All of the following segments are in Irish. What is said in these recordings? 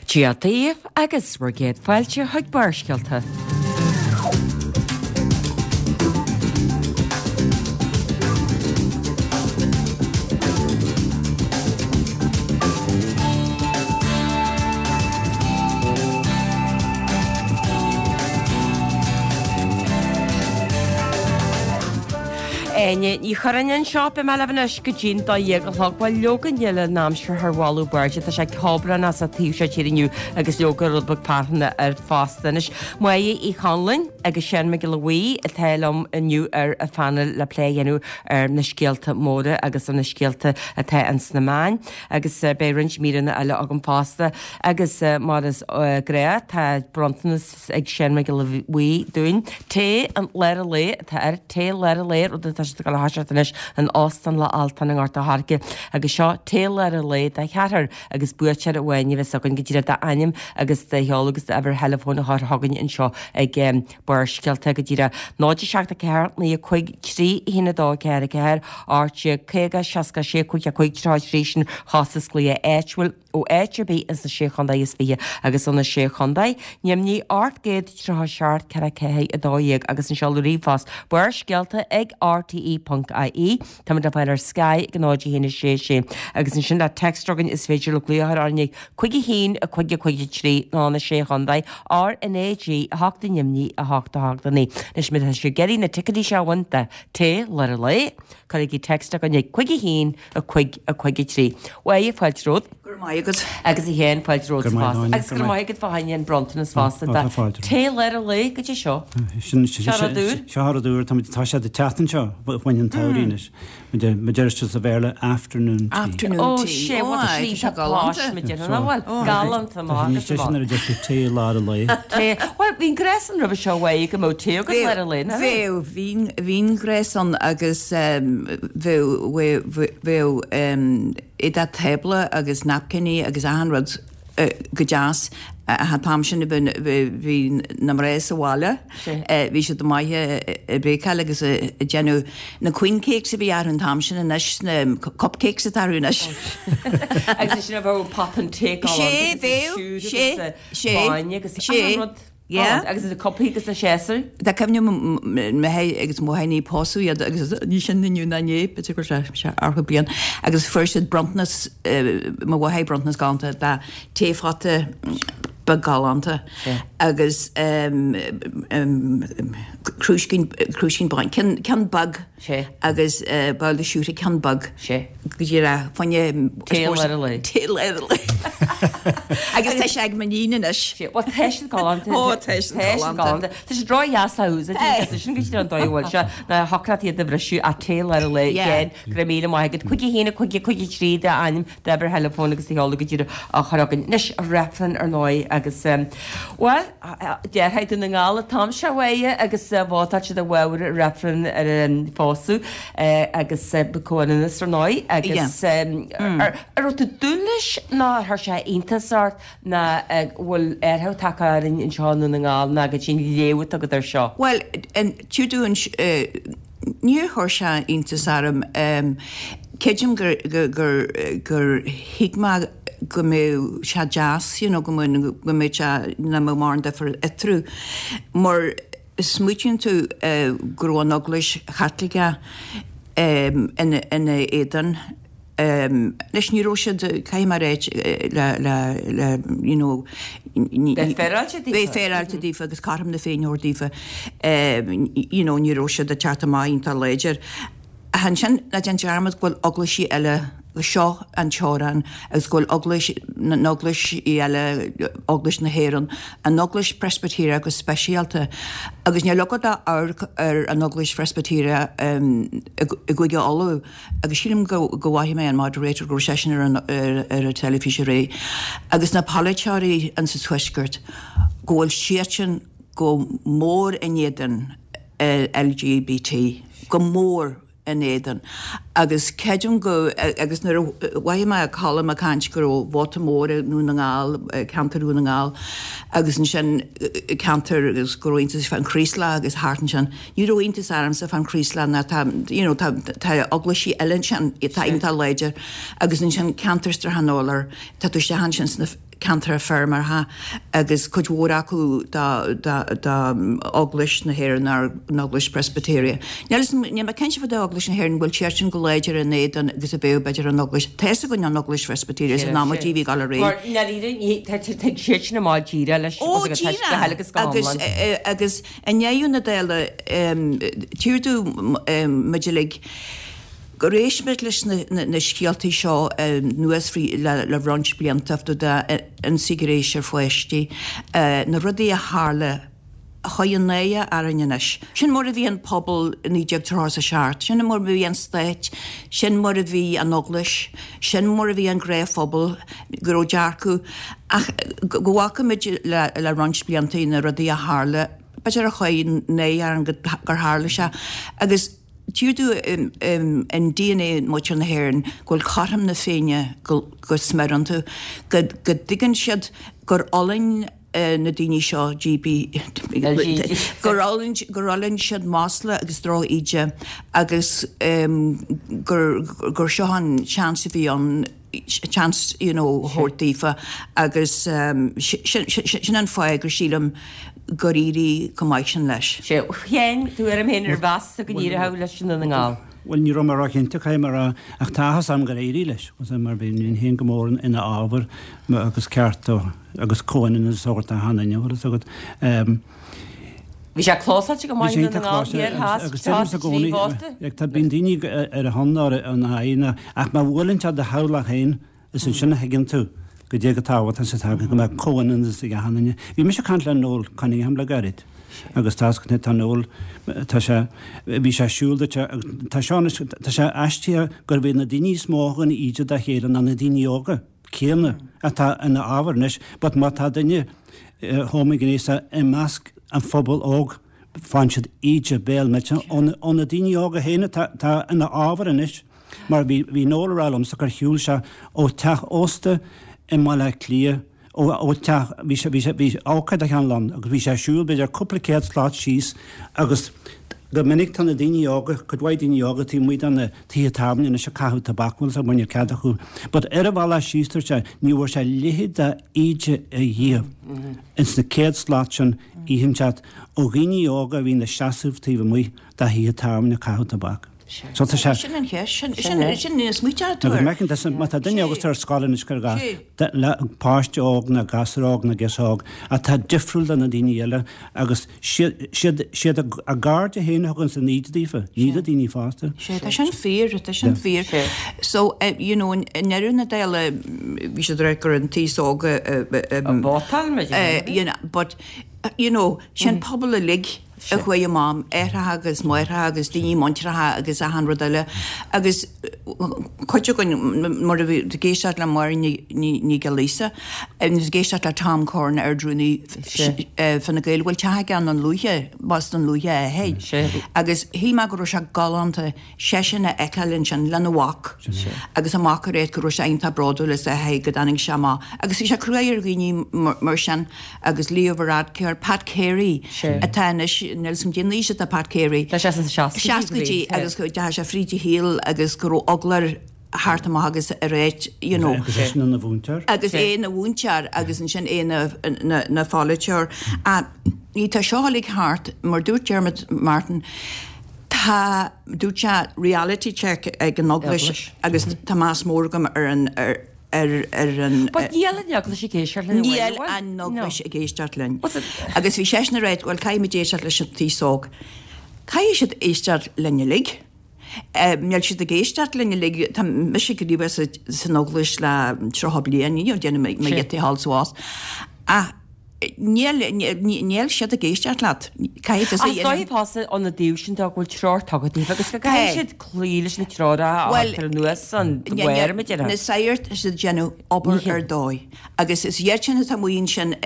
Dia daoibh agus bhur gcéad fáilte chuig Barrscéalta. Áine Ní Churráin anseo, beidh mé libh anois go dtí'n 12 a chlog. Bhuel, leoga níl an aimsir thar mholadh beirte, tá sé ceobhránach sa taobh seo tíre inniu agus leoga rud beag fearthainne air fosta. Anois, Máire Uí Chonluain agus Seán Mac Giolla Bhuí atá liom inniu ar an phainéal le plé a dhéanamh ar na scéalta móra agus ar na scéalta atá ins na meáin. Agus beidh roinnt míreanna eile agam fosta. Agus mar is gnách, tá bronntanas ag Seán Mac Giolla Bhuí dúinn. Tae an lár an lae atá air, tae lár an lae, rud atá siad ag dul a thoiseacht anois in Óstán Loch Altan i nGort a' Choirce. Agus seo tae lár an lae do cheathrar agus buaiteoir amháin a bheas againn go díreach d'ainm agus do sheoladh agus d'uimhir theileafóin a chur chugainn anseo ag Barrscéalta go díreach 0 7 4 9 5 3 1 2 4 4 18 50 66 5 5 33 sin costas glaoch áitiúil. ó áit ar bith ins na Sé Chontae is 20 agus ó na Sé Chontae, Nimhní 837 4 4 12 agus an seoladh ríomhphost Barrscéalta ag rte ponc ie. Táimid le fáil ar Sky ag 0 1 6 6 agus ansin le text againn is féidir le glaoch a chur orainn ag 5 1 5 5 3 nó na Sé Chontae RnaG 8 i nDoimní 8 8 9. Anois má tá sibh ag iarraidh na ticéidí seo a bhaint do Tae Lár an Lae, cuirigí text chugainn ag 5 1 5, 5, 3. Mháire, fáilte romhat. Go raibh maith agat. Agus a Sheáin, fáilte romhat fosta. Agus go raibh maith agat fá choinne an bronntanas fosta. Tá tae lár an lae go dtí seo. Seo rud úr. Seo rud úr. Tá siad ag teacht anseo fá choinne an tsamhraidh anois. Mar deir siad sa Bhéarla afternoon tea. Afternoon tea. Ó, sé, what a slí tá pláis, mar déarfá, nach bhfuil? Galánta maith agus Sé sin nuair a deir tú tae lár an lae. Tae. Bhuel, bhí an gnás ann roimhe seo uaidh go mbeadh tae agat lár an lae, nach raibh? Bheadh, bhí an gnás ann agus bheadh, bheadh éadach tábla agus napkiní agus achan rud go deas. An t-am sin bhí na mná sa bhaile, bhí siad maith ag béicáil agus ag déanamh na queen cakes a bhí orthu an t-am sin anois, na cupcakes atá orthu anois. Agus sin a bheadh pot an tae galánta agus an siúr agus bainne agus achan rud. Yeah. Agus na cupaí agus na séasúir. Tá cuimhne agam m'athair agus mo mháthair ní pósadh iad agus ní sin inniu ná inné, b'fhéidir go raibh sé ceathracha bliain, agus fuair siad bronntanas, mo mháthair bronntanas galánta de taephota beag galánta agus crúiscín, crúiscín bainne, ceann, ceann beag. Sé. Agus babhla siúcra ceann beag. Sé. Go díreach fá choinne. Tae lár an lae. Tae lár an lae. Agus tá sé ag m'iníon anois. Sé. Bhuel tá siad galánta. Ó tá siad galánta. Tá siad ródheas le húsáid agus sin go dtí an dóigh a bhfuil sé ná thiocfadh leat iad a bhriseadh ach tae lár an lae again go raibh míle maith agat. 5 1 5 5 3 d'ainm d'uimhir theileafóin agus do sheoladh go díreach á chur againn. Anois reifreann ar ndóigh agus bhuel déarfá i Dún na nGall an t-am seo uaidh agus vótáil siad i bhfabhar reifreann ar an phósadh agus comhionannas ar ndóigh agus ar raibh tú ag dúil leis nó ar chuir sé iontas ort ná bhfuil athrú tagtha orainn anseo i nDún na nGall ná go dtí an léamh atá agat air seo? Bhuel, tuigeann Níor chuir sé iontas orm. Creidim gur gur gur thuig mé go mbeadh sé deas, you know, go mbeadh go mbeadh sé, nach mbeadh mórán difear eatarthu. Mar smaoitíonn tú go raibh an Eaglais Chaitliceach ina ina éadan. Anois ní raibh siad, caithfidh mé a ráit, le, le, le, you know, Bheith féaráilte daofa. Bheith féaráilte daofa agus cothrom na Féinne a thabhairt daofa, you know, ní raibh siad ag teacht amach iontach láidir. Ach ansin, ná déan dearmad go bhfuil eaglaisí eile, seo an teorainn agus go bhfuil eaglais, na eaglaisí eile, Eaglais na hÉireann, an Eaglais Phreispitéireach go speisialta, agus níl agat ach amharc ar an Eaglais Phreispitéireach i gCúige Uladh, Agus sílim go bhfaighe mé an moderator go raibh seisean ar an ar an teilifís aréir agus na polaiteoirí insa tuaisceart go bhfuil siadsan go mór in éadan LGBT, go mór in éadan. Agus creidim go agus nuair a mhothaigh mé Colm ag caint go raibh vóta mór i nDún na nGall, ceantar Dhún na nGall agus ansin ceantar agus go raibh iontas fán Chraoslach agus thart ansin. Ní raibh iontas ormsa fán Chraoslach ná tá, you know, tá, tá eaglaisí eile ansin atá iontach láidir agus ansin ceantar Srath an Fholair, tá tú isteach ansin sna. ceantair feirmeoireachta agus cuid mhór acu d'Eaglais na hÉireann nó an Eaglais Presbyterian. Níl níl mé cinnte fá dtaobh Eaglais na hÉireann, bhfuil siad sin go láidir in éadan agus a bheadh b'fhéidir an Eaglais, tá fhios againn an Eaglais Presbyterian san am a bhí ag dul ar aghaidh. Mar ndáiríre ní tá tig siad sin amach díreach leis Ó díreach agus agus i ndeireadh na dála tír domh muid uilig gur éist muid leis na scéaltaí seo anuas le roinnt blianta fá dtaobh d'ionsaí gnéis ar pháistí, na rudaí a tharla a chuir an náire orainn anois. Sin mar a bhí an pobal i 1937, sin mar a bhí an stát, sin mar a bhí an Eaglais, sin mar a bhí an gnáthphobal, go raibh dearcadh, ach go bhfaca muid le roinnt blianta na rudaí a tharla, b'fhéidir a chuir náire orainn gur tharla sé agus. Tchífidh tú in DNA muintir na hÉireann go bhfuil cothrom na Féinne go smior iontu, go dtuigeann siad gur fhulaing na daoine seo, GB, gur fhulaing siad masla agus droch-íde agus gur seo an seans a bhí ann chance you know a thabhairt daofa agus sin an fáth gur sílim gur éirigh chomh maith sin leis. Sea, a Sheáin, tuairim féin ar mheas tú go n-éireoidh leis i nDún na nGall? Bhuel, ní raibh mé róchinnte, caithfidh mé a rá, ach tá áthas orm gur éirigh leis, mar bhínn féin go mór ina fhábhar agus ceart agus comhionannas a thabhairt d'achan duine, bhfuil fhios agat. Bhí sé clósáilte go maith i Dún na nGall thiar theas, Agus deirimse i gcónaí, tá, bíonn daoine ar a shon nó ar ina aghaidh, ná, ach má bhuaileann sé do theaghlach féin, is ansin a thuigeann tú goidé chomh tábhachtach is atá go mbeadh comhionannas ag achan duine. Bhí mise ag caint le Noel Cunningham le gairid agus tá tá Noel, tá sé, bhí sé ag siúl duit agus tá seo anois, tá sé aisteach gurb iad na daoine is mó a thugann íde dá chéile ná na daoine óga. céanna atá ina fhábhar anois, but má tá duine homaighnéasach i measc an phobail óg, faigheann siad íde béal millteach ó na daoine óga féin atá ina fhábhar anois. Mar bhí bhí Noel ag rá liomsa gur shiúil sé ó teach ósta i mBaile Átha Cliath, ó ó teach, bhí sé bhí sé bhí ócáid a cheann ann agus bhí sé ag siúl b'fhéidir cúpla céad slat síos agus go minic tá na daoine óga, cuid mhaith daoine óga taobh amuigh de na tithe tábhairne anois ag caitheamh tobac, bhfuil fhios agat, níl cead acu. But ar a bhealach síos dúirt sé, ní bhfuair sé leithéid de íde ariamh ins na céad slat sin oícheanta ó dhaoine óga a bhí ina seasamh taobh amuigh de thithe tábhairne ag caitheamh tobac. So tá sé. Sin an cheist, sin, sin, sin níos smaointe tú air. Má tá duine óg ar scoil anois cuir i gcás, páiste óg nó gasúr óg nó girseach óg atá difriúil de na daoine eile agus siad a gcairde féin a thugann an íde daofa, ní na daoine fásta. Sea, tá sin fíor, tá sin fíor. So, you know, i ndeireadh na dála, bhí siad ag rá gur an t-aos óg a. A vótáil, mar you know, but, you know, sin pobal uilig. a chuaigh amach, aithreacha agus máithreacha agus daoine muinteartha agus achan rud eile agus cuid againn mar a bhí ag éisteacht le Máire Ní Ghiollaíosa agus ag éisteacht le Tom Curran Ard-Rúnaí Fine Gael bhfuil teach aige i nDún Lúiche, b'as Dún Lúiche é féin agus shíl mé go raibh sé galánta seisean a fheiceáil ansin lena mhac agus a mhac ag ráit go raibh sé iontach bródúil as a athair go dtáinig sé amach agus bhí sé cruaidh ar dhaoine mar sin agus Leo Varadkar, Pat Carey atá anois, níl 'fhios a'm cén aois atá Pat Carey. Tá sé sna seascaidí agus go dteachaigh sé fríd a shaol agus go raibh eagla air theacht amach agus a ráit you know. Agus eisean ina mhúinteoir. Agus é ina mhúinteoir agus ansin é ina pholaiteoir. Ní tá seo uilig thart, mar dúirt Dermot Martin, Tá, dúirt sé, reality check ag an Eaglais agus tá meas mór agam ar an, ar, ar an. But níl an Eaglais ag éisteacht linn. Níl an Eaglais ag éisteacht linn. Agus bhí seisean ag ráit, bhuel, caithfimid éisteacht leis an t-aos óg. Caithfidh siad éisteacht linn uilig. Níl siad ag éisteacht linn uilig. Tá mise gníomhach san Eaglais le 30 bliain, you know, déanaim mo ghiota thall suas. Ach Níl, níl siad ag éisteacht leat. Caithfidh tusa a dhéanamh. Is dóigh fosta ina dtaobh sin de go bhfuil treoir tugtha daofa agus go gcaithfidh siad cloí leis na treoracha a thugtar anuas an mhair, mar a déarfá. Na sagairt, tá siad ag déanamh obair ar dóigh agus is iad sin atá amuigh ansin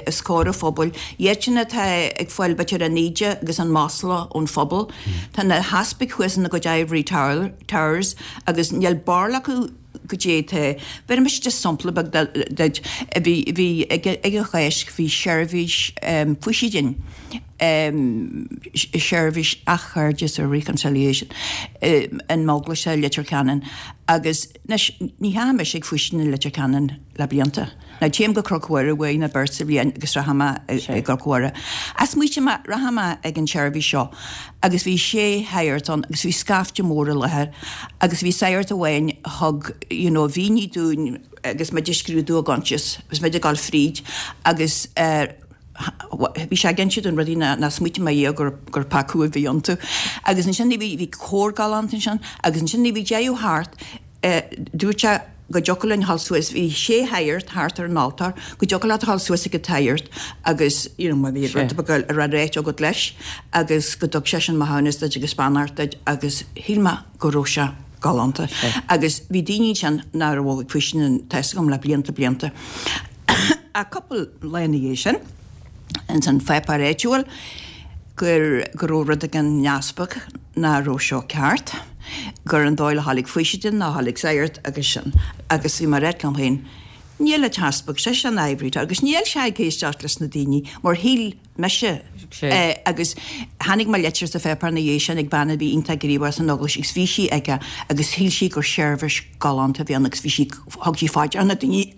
os comhair an phobail, iad sin atá ag fáil b'fhéidir an íde agus an masla ón phobal. Tá na heaspaig thuas ina gcuid ivory towers agus níl barúil acu goidé tá. Bhéarfaidh mise just sampla beag duit. Bhí, bhí, ag an Cháisc, bhí seirbhís faoistine. Seirbhís Athchairdis or Reconciliation in m'eaglais i Leitir Ceanainn agus anois ní theachaidh mise ag faoistin i Leitir Ceanainn le blianta. Now téim go Cnoc Mhuire uair nó beirt sa bhliain agus rachaidh mé i gCnoc Mhuire. Ach smaoitigh mé, rachaidh mé ag an tseirbhís seo agus bhí sé shagart ann agus bhí scaifte mór i láthair agus bhí sagart amháin a thug you know mhínigh dúinn agus muid ag scrúdú a gcoinsias agus muid ag dul fríd agus eh bhí sé ag inse dúinn rudaí nár smaoitigh mé riamh gur gur peacú a bhí iontu. Agus ansin bhí bhí cór galánta ansin agus ansin nuair a bhí deireadh thart eh dúirt sé go dtiocfadh linn dhul suas, bhí sé shagart thart ar an altóir, go dtiocfadh leat dhul suas ag an tsagart agus you know má bhí rud beag a raibh ráite agat leis agus go dtug seisean maithiúnas duit agus beannacht duit agus shíl mé go raibh sé galánta. Agus bhí daoine ansin nach raibh ag faoistin tá 'fhios agam le blianta blianta. Ach cúpla lá ina dhiaidh sin, ins an pháipéar áitiúil, gur go raibh rud ag an easpag nach raibh seo ceart, gur an dóigh le dhul ag faoistin ná dhul ag sagart agus sin. Agus bhí mé ag ráit liom féin, níl an t-easpag, seisean ivory tower, agus níl sé ag éisteacht leis na daoine mar shíl mise é agus chonaic mé litir sa pháipéar ina dhiaidh sin ag bean a bhí iontach gníomhach san eaglais agus bhí sí aige agus shíl sí gur seirbhís galánta a bhí ann agus bhí sí, thug sí faoi deara na daoine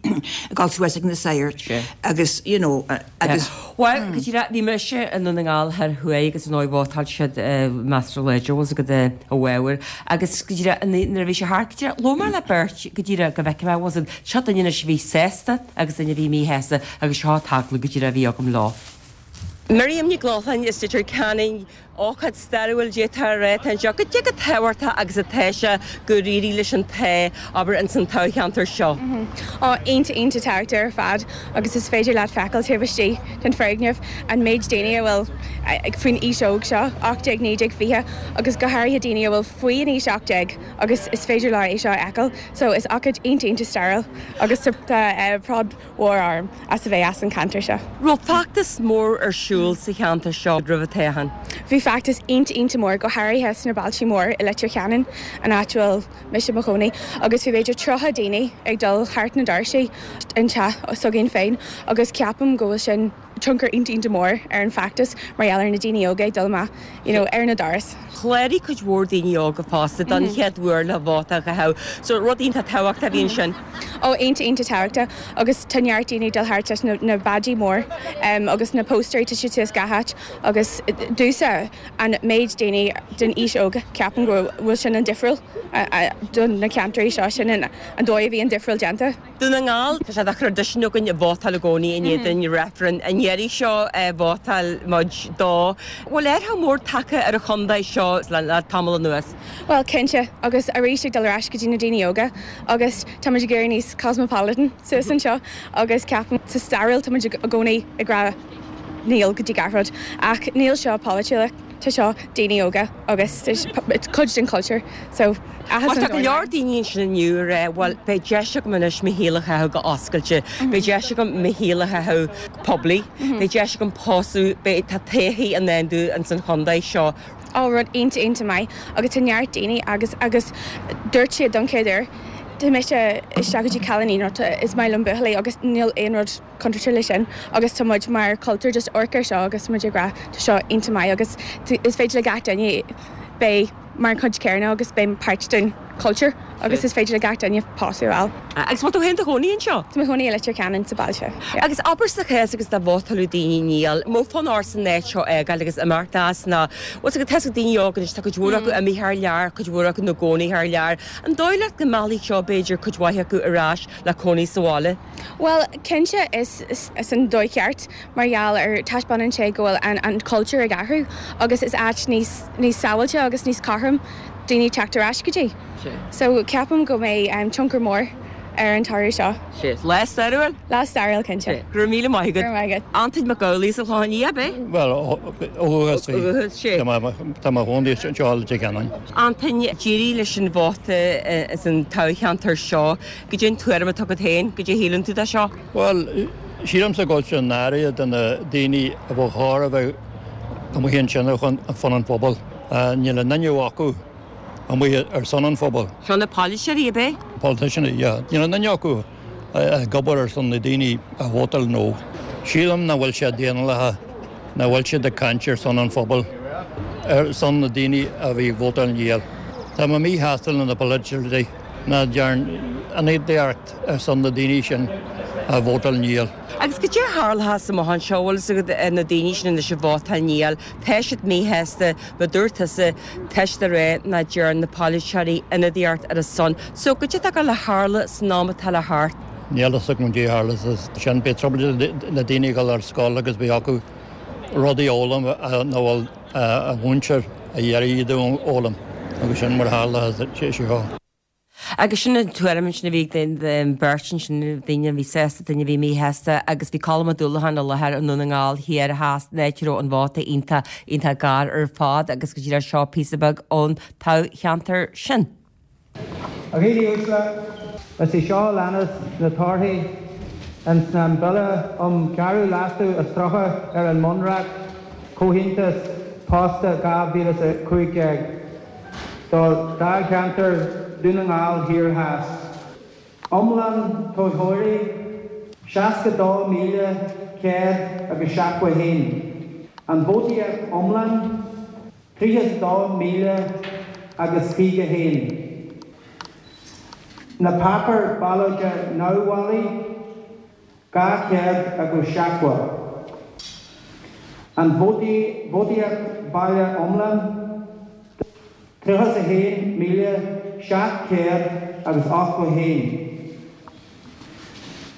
ag dul suas ag na sagairt agus you know agus. Bhuel, go díreach, bhí mise i nDún na nGall Thoir Thuaidh agus ar ndóigh vótáil siad measartha láidir bhfuil 's agat i bhfabhar agus go díreach nuair a bhí sé thart go díreach labhair mé le beirt go díreach go bhfeicfidh mé bhfuil 's agat seo duine anois a bhí sásta agus duine a bhí míshásta agus seo an t-agallamh go díreach a bhí agam leo. Miriam Nic Lochlainn as Leitir Ceanainn, ócáid stairiúil d'fhéadfá a rá atá anseo. Goidé chomh tábhachtach agus atá sé gur éirigh leis an Tá, abair, ins an toghcheantar seo. Ó, iontach, iontach tábhachtach ar fad agus is féidir leat feiceáil taobh istigh den foirgneamh an méid daoine a bhfuil faoin aois óg seo, 18, 19, 20 agus go háirithe daoine a bhfuil faoi an aois 18 agus is féidir leo é seo a fheiceáil. So is ócáid iontach, iontach stairiúil agus tá bród mhór orm as a bheith as an cheantar seo. Raibh feachtas mór ar siúl sa cheantar seo roimh an toghchán? Bhí feachtas iontach iontach mór, go háirithe sna bailte mór i Leitir Ceanainn, an áit a bhfuil mise i mo chónaí, agus bhí b'fhéidir 30 daoine ag dul thart na doirsí an teach s'againn féin agus ceapaim go bhfuil sin tionchar iontach iontach mór ar an feachtas mar gheall ar na daoine óga ag dul amach you know ar na doras. Chláraigh cuid mhór daoine óga fosta don chéad uair le vóta a chaitheamh. So rud iontach tábhachtach a bhí ansin. Ó iontach iontach tábhachtach agus tá neart daoine ag dul thart leis na na badges mór agus na póstaerí tá siad suas gach áit agus domhsa an méid daoine den aois óg ceapaim go bhfuil sin an difriúil do na ceantair seo sin an dóigh a bhí an difriúil déanta. Dún na nGall, tá sé de thraidisiún againn vótáil i gcónaí in éadan reifreann. An iarraidh seo vótáil muid dó. Bhfuil athrú mór tagtha ar an chontae seo le tamall anuas? Bhuel, cinnte, agus arís ag dul ar ais go dtí na daoine óga agus tá muid ag éirí níos cosmopolitan suas anseo agus ceapaim sa stairiúil tá muid i gcónaí ag rá níl go dtí gach rud ach níl seo polaitiúil. Tá seo daoine óga agus it's cuid den chultúr so áthas an Tá go leor daoine ansin inniu ag rá bhuel beidh deis agam anois mo shaol a chaitheamh go oscailte, beidh deis agam mo shaol a chaitheamh poiblí, beidh deis agam pósadh, beidh, tá todhchaí i ndán dúinn ins an chontae seo. Ó rud iontach iontach maith agus tá neart daoine agus agus dúirt siad don chéad uair tá mise isteach go dtí cailíní nó is maith liom buachaillí agus níl aon rud contráilte leis sin agus tá muid mar chultúr just amharc ar seo agus muid ag rá tá seo iontach maith agus is féidir le gach duine beith mar chuid céanna agus beith páirt den chultúr agus is féidir le gach duine pósadh a fháil. Agus bhfuil tú féin i do chónaí anseo? Tá mé i mo chónaí i Leitir Ceanainn sa bhaile seo, yeah. Agus abair sa chás agus dá vótáladh daoine níl, an mbeadh fonn ort an áit seo a fhágáil agus imeacht as nó bhfuil 's agat tá 's ag daoine óga anois tá cuid mhór acu imithe thar lear, cuid mhór acu ina gcónaí thar lear. An dóigh leat go meallfaidh seo b'fhéidir cuid mhaith acu ar ais le cónaí sa bhaile? Bhuel, cinnte is is an dóigh cheart mar gheall ar taispeánann sé go bhfuil an an cultúr ag athrú agus is áit níos níos sábháilte agus níos cothrom daoine teacht ar ais go dtí. So ceapaim go mbeidh tionchar mór ar an toradh seo. Sea. Lá stairiúil? Lá stairiúil, cinnte. Go raibh míle maith agat. Go raibh maith agat. Antain Mac Amhlaigh as an Chlochán Liath, ab é? Bhuel, ó dhúchas bhí. Ó dhúchas, sea. Tá mé i mo chónaí anseo i Leitir Ceanainn. Antain, d'éirigh leis an vóta ins an toghcheantar seo. Goidé an tuairim atá agat féin, goidé a shíleann tú de seo? Bhuel, sílimse go bhfuil sé náireach do na daoine a bheadh chóir a bheith amuigh ansin ar son an phobail. Níl aon duine acu amuigh ar son an phobail. Seo na polaiteoirí, ab é? Politicians, yeah. Níl aon duine acu ag obair ar son na daoine a vótáil no. Sílim nach bhfuil sé daonlathach. Nach bhfuil siad ag caint ar son an phobail, ar son na daoine a bhí ag vótáil Níl. Tá mé míshásta le na polaiteoirí nach dtearn ionadaíocht ar son na daoine sin a vótáil Níl. Agus goidé a tharlóchas amach anseo, bhfuil fhios agat, na daoine sin anois a vótáil Níl, tá siad míshásta, mar dúirt tusa, tá siad ag rá nach dtearn na polaiteoirí ionadaíocht ar a son. So, goidé atá ag gabháil a tharlú san am atá le theacht? Níl fhios agam goidé a tharlós sin. Beidh trioblóid le daoine ag dul ar scoil agus beidh acu rudaí a fhoghlaim nach bhfuil a mhúinteoir ag iarraidh iad a fhoghlaim agus sin mar a tharla sé seo. Agus sin an tuairim ansin a bhí ag an bheirt ansin, duine a bhí sásta, duine a bhí míshásta agus bhí Colm Ó Dúlacháin i láthair i nDún na nGall thiar theas, an áit a raibh an vóta iontach, iontach gar ar fad agus go díreach seo píosa beag ón toghcheantar sin. A dhaoine uaisle, is í seo a leanas na torthaí ins an Bille um Cheathrú Leasú is 30 ar an mBunreacht, Comhaontas Posta 2015, do Dháilcheantar Dhún na nGall Thiar Theas. Iomlán toghthóirí, 62,171. An vótaíocht iomlán, 32,000 agus 51. Na páipéir ballóide neamhbhailí, 200 agus 70. An vótaíocht bhaile iomlán, 31,700 agus 81.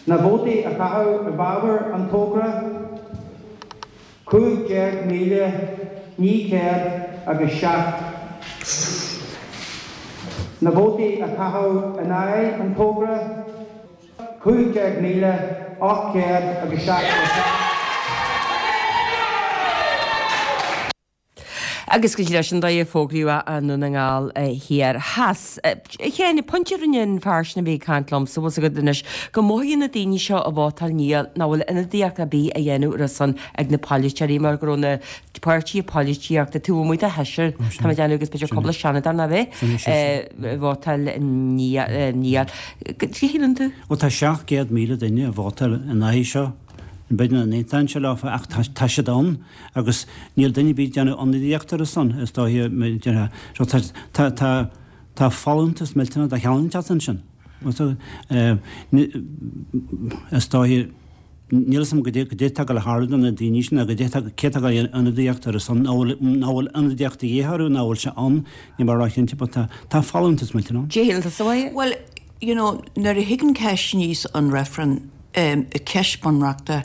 Na vótaí a caitheadh i bhfabhar an togra, 15,900 agus 7. Na vótaí a caitheadh in aghaidh an togra, 15,800 agus 77. Agus go díreach sin an dóigh a fógraíodh i nDún na nGall Thiar Theas. A Sheáin, pointe a rinne an fear sin a bhí ag caint liomsa, bhfuil 's agat anois, go mothaíonn na daoine seo a vótáil Níl, nach bhfuil ionadaíocht ar bith á dhéanamh ar a son ag na polaiteoirí mar go raibh na páirtithe polaitíochta taobh amuigh de sheisear, tá mé ag déanamh agus b'fhéidir cúpla seanadóir nach ea, a vótáil Níl. Cad a shíleann tú? Bhuel tá 700,000 duine a vótáil in aghaidh seo. B'fhéidir nach n-aontaíonn sé leofa ach tá siad ann agus níl duine ar bith ag déanamh ionadaíocht ar a son, is dóiche, déarfá. So tá, tá, tá, tá folúntas millteanach de chineál inteacht ansin. Is dóiche, níl 'fhios a'm goidé, goidé atá ag gabháil a tharlú do na daoine sin, nó goidé atá, cé atá ag gabháil a dhéanamh ionadaíocht ar a son, nó bhfuil, nó bhfuil ionadaíocht de dhíth orthu, nó bhfuil sé ann, níl mé róchinnte, but tá, tá folúntas millteanach ann. Cad a shíleann tusa, a Mháire? Bhuel, you know, nuair a thigeann ceist aníos an reifreann, ceist bunreachta,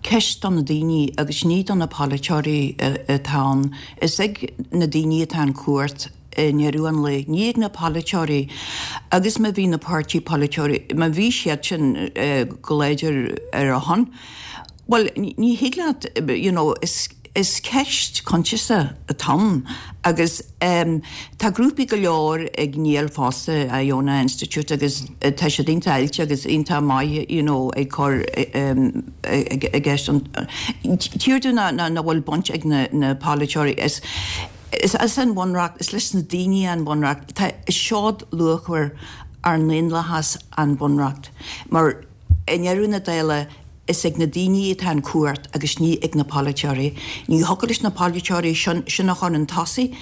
ceist do na daoine agus ní do na polaiteoirí atá ann. Is ag na daoine atá an chumhacht i ndeireadh an lae, ní ag na polaiteoirí. Agus má bhí na páirtí polaiteoirí, má bhí siad sin go láidir ar a shon, bhuel, ní thig leat, you know, is, Is ceist coinsiasa atá ann agus tá grúpaí go leor ag Níl fosta, Iona Institute agus tá siad iontach oilte agus iontach maith you know ag cur i gceist an tír dúinn nach bhfuil baint ag na polaiteoirí. Is is an Bhunreacht, is leis na daoine an Bunreacht. Tá seod luachmhar ár ndaonlathas an Bunreacht mar I ndeireadh na dála, is ag na daoine atá an chumhacht agus ní ag na polaiteoirí. Ní thiocfadh leis na polaiteoirí sin a chur chun tosaigh.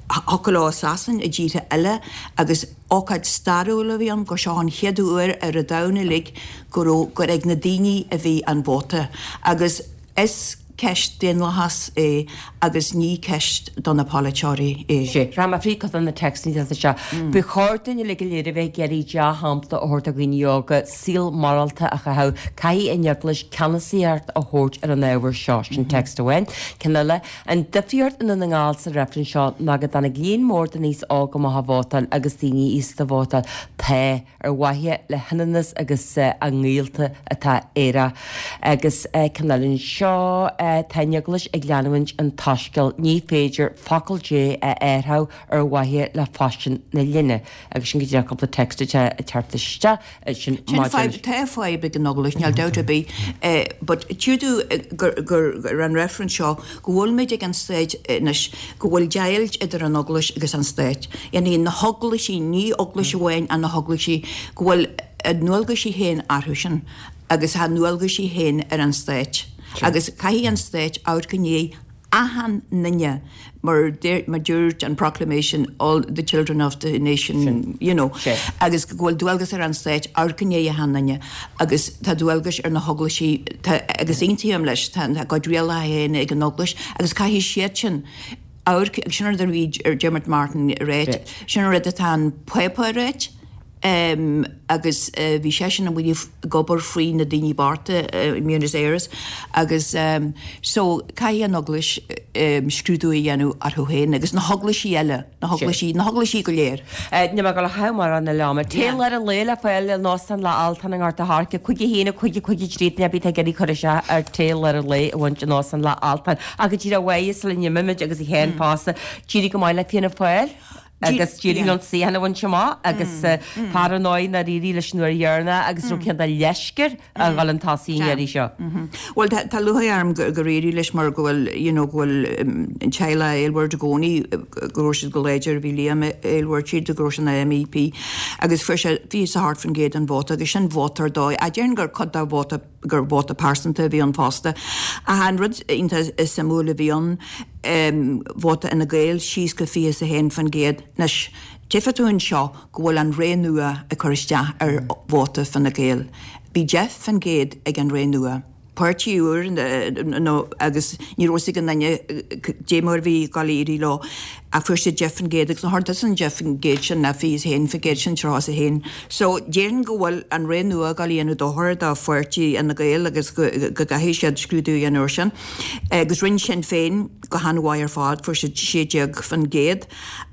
Thiocfadh leo i Sasain, i dtíortha eile agus ócáid stairiúil a bhí ann gur seo an chéad uair ar an domhan uilig go raibh, gur ag na daoine a bhí an vóta agus is ceist daonlathas é agus ní ceist do na polaiteoirí é. Sea, rachaidh mé fríd cuid de na téacsanna atá anseo. Ba chóir dúinn uilig go léir a bheith ag iarraidh dea-shampla a thabhairt do dhaoine óga, saol morálta a chaitheamh. Caithfidh an Eaglais ceannasaíocht a thabhairt ar an ábhar seo. Sin text amháin. Ceann eile, An difríocht i nDún na nGall sa reifreann seo ná go dtáinig líon mór den aos óg amach a vótáil agus daoine aosta a vótáil. Tá. ar mhaithe le hionannas agus a ngaolta atá aerach. Agus ceann eile anseo, tá an Eaglais ag leanúint an tSoiscéil, ní féidir focal Dé a athrú ar mhaithe le faisean na linne. Agus sin go díreach cúpla text atá ag teacht isteach sin maidir leis. Tá fadhb ag an Eaglais, níl dabht ar bith, but tchí tú gur ar an reifreann seo go bhfuilimid ag an staid anois go bhfuil deighilt idir an Eaglais agus an Stát. Yani na heaglaisí, ní eaglais amháin ach na heaglaisí, go bhfuil a ndualgaisí féin orthu sin agus a ndualgaisí féin ar an Stát. Agus caithfidh an Stát amharc i ndiaidh achan nduine mar mar dúirt an proclamation all the children of the nation you know agus go bhfuil dualgas ar an Stát amharc i ndiaidh achan nduine agus tá dualgas ar na heaglaisí tá agus aontaím leis tá a gcuid rialacha féin ag an eaglais agus caithfidh siad sin amharc agus sin an rud a bhí Dermot Martin ag ráit sin an rud atá an Pápa ag ráit. agus bhí seisean amuigh ag obair faoi na daoine bochta i mBuenos Aires agus so caithfidh an Eaglais scrúdú a dhéanamh orthu féin agus na heaglaisí eile, na heaglaisí, na heaglaisí go léir. Níl mé ag dul a chaitheamh mórán eile ama. Tae lár an lae le fáil in Óstán Loch Altan i nGort a' Choirce, 5 1 5 5 3 duine ar bith atá ag iarraidh cur isteach ar tae lár an lae a bhaint in Óstán Loch Altan. Ach go díreach uaidh sula n-imímid agus a Sheáin fosta, d'éirigh go maith le Fianna Fáil. agus d'éirigh leo an suíochán a bhaint amach agus fear ar ndóigh nár éirigh leis an uair dheireanach agus raibh cineál de leisce air a dhul chun tosaigh an iarraidh seo. Bhuel tá lúcháir orm gur éirigh leis mar go bhfuil you know go bhfuil an teaghlach Aylward i gcónaí go raibh siad go láidir bhí Liam Aylward siad go raibh sé ina MEP agus fuair sé 28% den vóta agus sin vóta ar dóigh. Ach déarfainn gur cuid de vóta gur vóta pearsanta a bhí ann fosta. Ach an rud iontach suimiúil a bhí ann, vóta Fhine Gael síos go 21%. Anois, tchífidh tú anseo go bhfuil an Ré Nua ag cur isteach ar vóta Fine Gael. Bhí 10% ag an Ré Nua. Páirtí úr nó agus ní raibh fhios ag aon duine dé mar a bhí ag dul a éirí leo. Ach fuair siad 10% agus an rud san 10% sin ná 21% sin 31. So déarfainn go bhfuil an ré nua ag dul a dhéanamh dochar do pháirtí Fhine Gael agus go gcaithfidh siad scrúdú a dhéanamh ar sin. Agus rinne Sinn Féin go han-mhaith ar fad, fuair siad 16%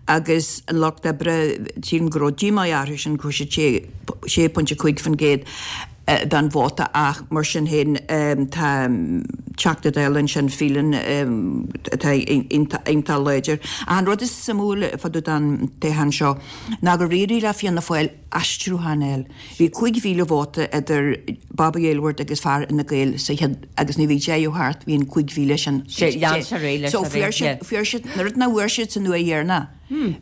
agus an Lucht Oibre, sílim go raibh díomá orthu sin, fuair siad 6.5%. den vóta ach mar sin féin tá Teachta Dála ansin, Phelan, atá iontach láidir. Ach an rud is suimiúil fá dtaobh den toghchán seo ná gur éirigh le Fianna Fáil aistriúchán a fháil. Bhí 5,000 vóta idir Bobby Aylward agus fear Fhine Gael sa chéad agus nuair a bhí deireadh thart bhí an 5,000 sin. So fuair siad, fuair siad, an rud nach bhfuair siad san uair dheireanach.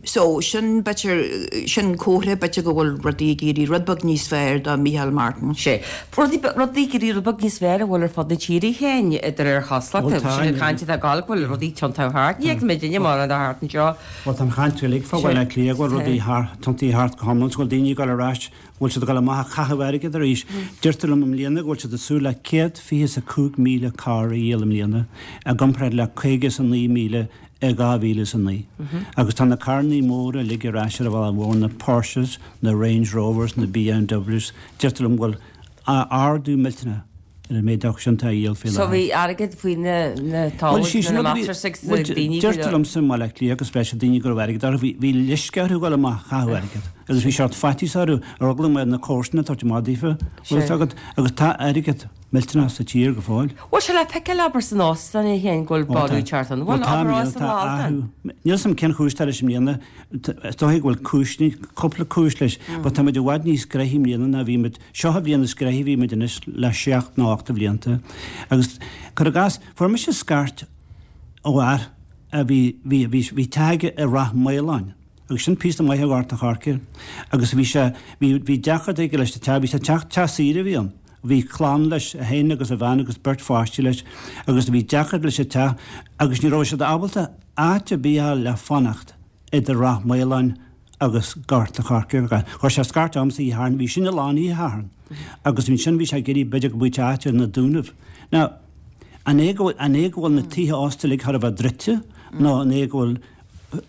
So, sin b'fhéidir, sin comhartha b'fhéidir go bhfuil rudaí ag éirí rud beag níos fearr do Micheál Martin. Sea. Rudaí, rudaí ag éirí rud beag níos fearr an bhfuil ar fud na tíre féin, de réir chosúlachta. Bhuel tá. Sin an chaint atá ag gabháil go bhfuil rudaí tiontaithe thart. Ní fheiceann muid duine mórán de thart anseo. Bhuel tá an chaint uilig fá Bhaile Átha Cliath go bhfuil rudaí thart, tiontaithe thart go hiomlán, go bhfuil daoine ag dul ar ais, go bhfuil siad ag dul amach ag caitheamh airgid arís. Deirtear liom i mbliana go bhfuil siad ag súil le 125,000 carr a dhíol i mbliana, i gcomparáid le 59,000 i 2009. Agus tá na carrannaí móra uilig ar ais ar an bhealach mhór, na Porsches, na Range Rovers, na BMWs, deirtear liom go bhfuil ardú millteanach ar an méid acu sin atá á dhíol faoi So bhí airgead faoi na na Bhuel, sí sin na rud a bhí, bhuel, deirtear liomsa i mBaile Átha Cliath agus breis daoine go raibh airgead orthu, bhí, bhí leisce orthu dul amach a chaitheamh airgead. Agus bhí seort faitíos orthu, ar eagla go mbeadh na comharsana ag tabhairt amach daofa, bhfuil fhios agat, agus tá airgead. millteanach sa tír go fóill. Bhfuil sé le feiceáil abair san óstán é féin go bhfuil borradh ag teacht ann? Bhuel tá, níl, tá athrú. Níl 'fhios a'm cén chúis atá leis i mbliana. Is dóigh go bhfuil cúis, cúpla cúis leis, but tá muid i bhfad níos gnoithí i mbliana ná bhí muid, seo an bhliain is gnoithí a bhí muid anois le seacht nó ocht de bhlianta. Agus, cuir i gcás, fuair mise scairt ó fhear a bhí, bhí, bhí, bhí teach aige i Rath Maoláin. Agus sin píosa maith ó Ghort an Choirce. Agus bhí sé, bhí, bhí deacracht aige leis an teach, bhí sé teach, teach saoire a bhí ann. Bhí clann leis, é féin agus a bhean agus beirt pháistí leis agus bhí deacracht leis an teach agus ní raibh siad ábalta áit ar bith a fháil le fanacht idir Rath Maoláin agus Gort an Choirce. Chuir sé scairt ormsa oíche Shathairn, bhí sin lán oíche Shathairn agus ansin bhí sé ag iarraidh b'fhéidir go bhfaigheadh sé áit ar na Dúnaibh. Now, an é go bhfuil, an é go bhfuil na tithe ósta uilig thar a bheith druidte nó an é go bhfuil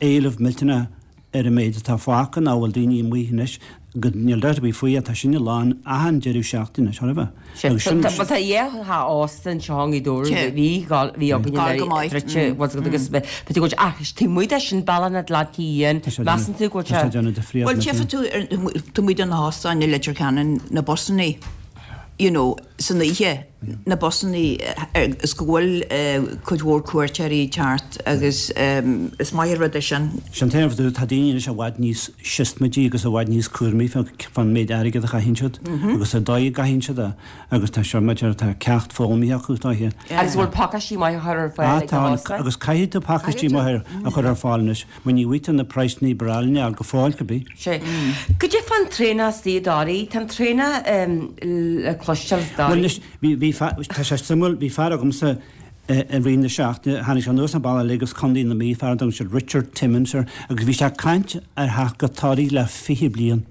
éileamh millteanach ar an méid atá fágtha nó an bhfuil daoine amuigh anois go níl dabht ar bith faoi tá sinne lán achan deireadh seachtaine anois, thar a bheith. Agus sin. Bhuel tá dhá theach ósta anseo i nGaoth Dobhair bhí bhí againn Go maith. druidte agus b'fhéidir go bhfuil ach taobh amuigh de sin Bealach na Atlantaigh Fhiáin, measann tú go bhfuil sé. Tá sé ag déanamh difríocht. Bhuel tchífidh tú taobh amuigh de na hóstáin i Leitir Ceanainn na busannaí you know san oíche na busannaí is go bhfuil cuid mhór cuairteoirí ag teacht agus is maith an rud é sin. Sin t-aon rud, tá daoine anois i bhfad níos siosmaidí agus i bhfad níos cúramaí fán méid airgid a chaitheann siad agus an dóigh a gcaitheann siad é agus tá seo maidir, tá ceacht foghlamtha acu is dóiche. Agus bhfuil pacáistí maithe á chur ar fáil ag na hóstáin? Tá, agus caithfidh tú pacáistí maithe a chur ar fáil anois mar ní bhfaighidh tú na praghsanna breá linn go fóill cibé. Sea. Goidé fán traonach istigh i dToraí? Tá an traonach le cloisteáil i dToraí. Bhuel anois, bhí, bhí. Bhí, tá sé suimiúil, bhí fear agamsa i rith na seachtaine, tháinig sé anuas an bealach uilig as Contae na Mí, fear a dtugann siad Richard Timmins air, agus bhí sé ag caint ar theacht go Toraigh le 20 bliain.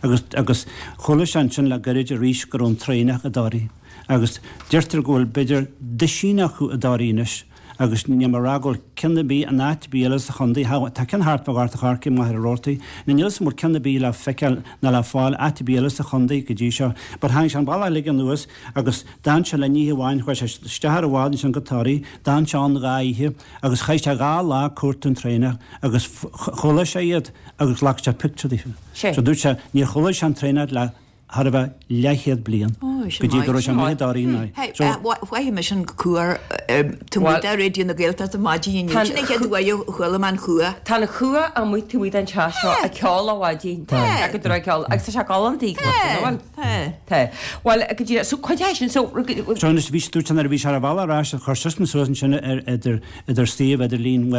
Agus, agus chuala sé ansin le gairid arís go raibh an traonach i dToraigh. Agus deirtear go bhfuil b'fhéidir duisín acu i dToraigh anois. Agus níl mé ag rá go bhfuil ceann ar bith in áit ar bith eile sa chontae, tá ceann thart fá Ghort a' Choirce i Machaire Rabhartaigh, nó níl 'fhios a'm an bhfuil ceann ar bith le feiceáil ná le fáil áit ar bith eile sa chontae go dtí seo. But tháinig sé an bealach uilig anuas agus d'fhan sé linn oíche amháin, chuaigh sé isteach ar an bhád ansin go Toraigh, d'fhan sé ann dhá oíche agus chaith sé dhá lá ag cuartú an traonach agus chuala sé iad agus ghlac sé pictiúr daofa. So dúirt sé níor chuala sé an traonach le thar a bheith leathchéad bliain go dtí go raibh sé amuigh i dToraigh inné. So. Mhothaigh mise an cumha taobh amuigh de Raidió na Gaeltachta maidin inniu. Sin an chéad uair a chuala mé an chuach. Tá an chuach amuigh taobh amuigh den teach seo ag ceol ó mhaidin. Tá. Go dtráth ceol agus tá sé galánta í cloisteáil, an bhfuil? Tá. Bhuel, go díreach, so cuid é sin, so. So anois bhí, dúirt sé nuair a bhí sé ar a bhealach ar ais, chuir seisean suas ansin ar idir, idir suíomh idirlín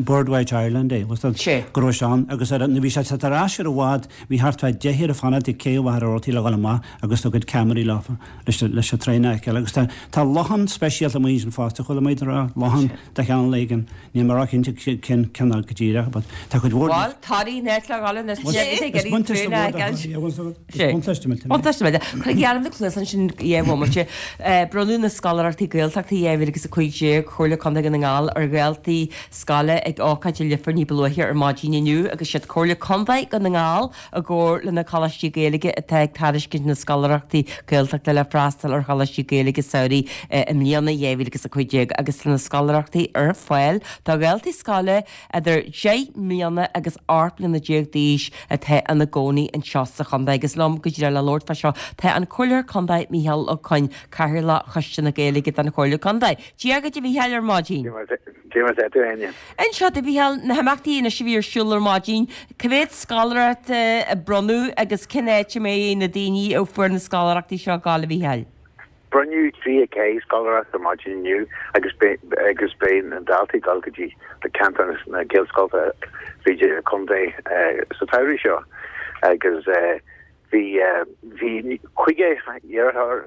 Birdwatch Ireland é, go raibh sé ann agus ar, nuair a bhí sé ar ais ar an bhád, Bhí thart fá deichniúr ag fanacht ag cé Mhachaire Rabhartaigh le dhul amach agus a gcuid ceamaraí leofa leis leis an traonach a fheiceáil. Agus tá tá lochán speisialta amuigh ansin fosta, chuala mé iad ag rá, lochán de chineál éigin, níl mé róchinnte cén cineál go díreach but tá cuid mhór Bhuel, Toraigh an áit le dhul anois, Is ag iarraidh buntáiste traonach mór a do fheiceáil. Thoraí, bhfuil fhios agat? Is buntáiste millteanach é. Buntáiste millteanach. Cuir geall na cluasa ansin dhá bhomaite. Bronnadh na Scoláireachtaí Gaeltachta 2015 Chomhairle Contae Dhún na nGall ar dhaltaí scoile ag ócáid i Leifear ní ba luaithe ar maidin inniu agus siad Comhairle Contae Dhún na nGall i gcomhar le na Coláistí Gaeilge atá ag tairiscint na Scoláireachtaí Gaeltachta le freastal ar Choláistí Gaeilge samhraidh i mbliana 2015 agus tá na scoláireachtaí ar fáil do dhaltaí scoile idir 10 mbliana agus 18 mbliana d'aois atá ina gcónaí anseo sa chontae agus liom go díreach le labhairt fá seo tá an Comhairleoir Contae Micheál Ó Coinn, Cathaoirleach Choiste na Gaeilge den Chomhairle Contae. Dia dhuit a Mhichíl ar maidin. Dia mar atá tú, a Áine. Inis domh a Mhichíl, na himeachtaí anois a bhí ar siúl ar maidin, cá mhéad scoláireacht a bronnadh agus cén áit a mbeidh na daoine a fuair na scoláireachtaí seo ag gabháil, a Mhichíl? Bronnadh 34 scoláireacht ar maidin inniu agus agus beidh na daltaí ag dul go dtí na ceantar na Gaelscoileanna fríd an chontae sa tsamhradh seo agus bhí bhí 50 iarrthóir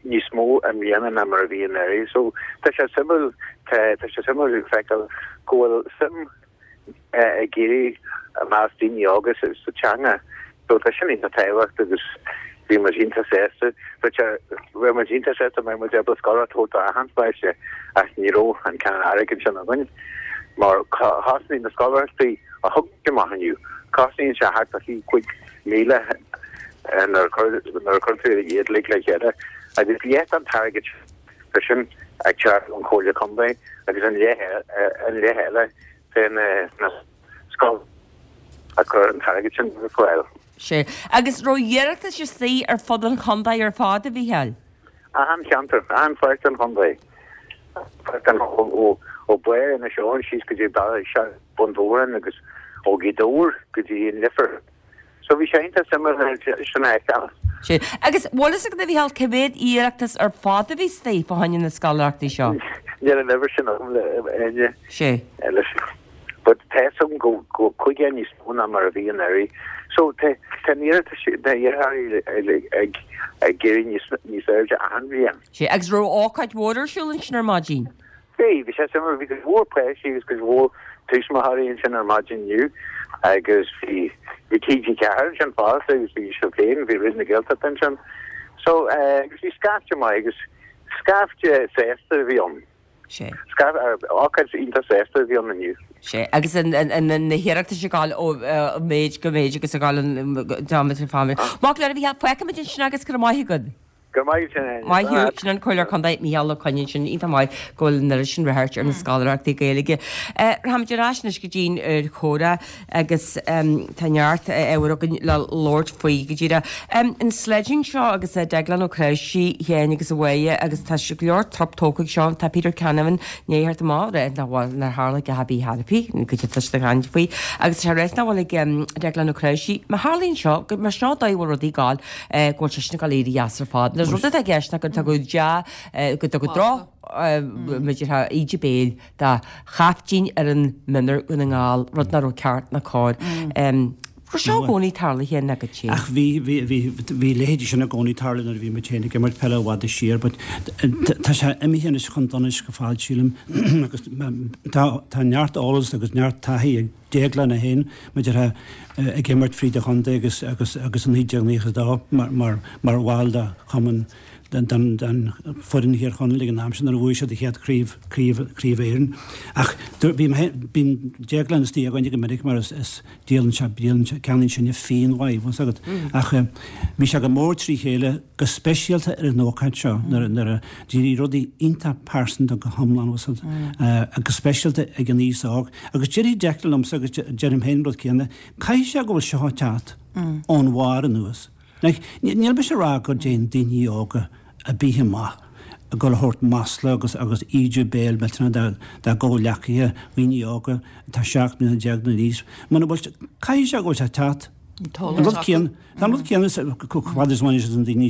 níos mó i mbliana ná mar a bhí anuraidh. So tá sé suimiúil, tá tá sé suimiúil feiceáil go bhfuil suim ag éirí i measc daoine óga sa sa teanga. So tá sin iontach tábhachtach agus bhí muid iontach sásta. Bhí sé bhí muid iontach sásta mbeadh muid ábalta scoláireacht a thabhairt do achan pháiste ach ní raibh an cineál airgid sin againn mar chosnaigh na scoláireachtaí a thug muid amach inniu, cosnaíonn sé thart fá 5,000 nuair a chuir tú iad uilig le chéile agus leath den t-airgead tá sin ag teacht ón Chomhairle Contae agus an leath eile fé na scoil a chuir an t-airgead sin ar fáil. Sea. Agus raibh iarratais istigh ar fud an chontae ar fad, a Mhichíl? Achan cheantar, achan pháirt den chontae. Ó Bharr Inis Eoghain síos go dtí Bun Dobhráin agus ó Ghaoth Dobhair go dtí an Leifear. So bhí sé iontach suimiúil sin a fheiceáil. Sea. Agus bhfuil fhios agat, a Mhichíl, cé mhéad iarratas ar fad a bhí istigh fá choinne na scoláireachtaí seo? Níl an uimhir sin agam a Áine. Sea. But tá fhios agam go go 50 níos mó ná mar a bhí anuraidh. So tá tá an iarratas na iarrthóirí ag ag éirí níos níos airde achan bhliain. Sea. Agus raibh ócáid mhór ar siúl ansin ar maidin? Bhí, bhí sé suimiúil, bhí cuid mhór páistí agus cuid mhór tuismitheoirí ansin ar maidin inniu agus bhí, bhí TG4 ansin fosta agus bhí sibh féin, bhí Raidió na Gaeltachta ansin. So, eh, agus bhí scaifte maith agus scaifte sásta a bhí ann. Sea. Scaifte, ócáid iontach sásta a bhí ann inniu. Sea, agus an, an, an, na hiarratais ag gabháil ó eh, méid go méid agus ag gabháil an, diameter family. Maith go leor a Mhichíl, fágfaimid ansin agus go raibh maith agat. Go raibh maith agat. Maith thú, sin an Comhairleoir Contae Micheál Ó Coinn ansin, iontach maith go bhfuil an oiread sin ráchairt ar na scoláireachtaí Gaeilge. Rachaimid ar ais anois go dtí'n chomhrá agus tá neart ábhar againn le labhairt faoi go díreach. An sledging seo agus Deaglán Ó Cnáimhsí féin agus a Mháire agus tá go leor trup tógtha ag seo, tá Peter Canavan i ndiaidh theacht amach rá nach bhfuil nár tharla a dhath ar bith ar bith, go dtí tá siad ag caint faoi agus tá sé ráite nach bhfuil ag Deaglán Ó Cnáimhsí. Má tharlaíonn seo, mar seo an dóigh a bhfuil rudaí ag gabháil, go bhfuil seisean ag dul éirí as ar fad. Nuair rud atá i gceist ná go dtugadh dea, go dtugadh droch, b'fhéidir, íde béil do chaiftín ar an mionúr Dhún na nGall, rud nach raibh ceart ná cóir. Raibh seo i gcónaí tarlaithe ná goidé? Ach bhí, bhí, bhí, bhí leithéidí sin i gcónaí tarlú nuair a bhí muid féin ag imirt peile i bhfad siar but tá sé imithe anois chun donais go fad sílim agus tá, tá neart eolas agus neart taithí ag Déaglán é féin maidir le ag imirt fríd an chontae agus, agus, agus i 1992 mar, mar, mar bhall de chumann den, den, den foireann Thír Chonaill ag an am sin nuair a bhuaigh siad a chéad chraobh, craobh, craobh Éireann. Ach bhí mé féin, bíonn Déaglán istigh againne go minic mar is, is díolann sé, díolann sé, ceannaíonn sinne fíon uaidh, bhfuil 's agat. Ach bhí sé go mór trí chéile, go speisialta ar an ócáid seo, nuair a, nuair a d'éirigh rudaí iontach pearsanta go hiomlán, bhfuil 's agat, go speisialta ag an aos óg. Agus déarfaidh Declan liomsa, agus deirim féin an rud céanna, caithfidh sé go bhfuil seo ag teacht ón bharr anuas. Like, níl mise ag rá go dtéann daoine óga ar bith amach ag dul a thabhairt masla agus agus ídiú béil millteanach dá dá gcomhghleacaithe, daoine óga atá 17 mbliana nó níos, muna bhfuil, caithfidh sé go bhfuil sé ag teacht. An rud céanna, tá an rud céanna chomh fada is a bhaineann sé na daoine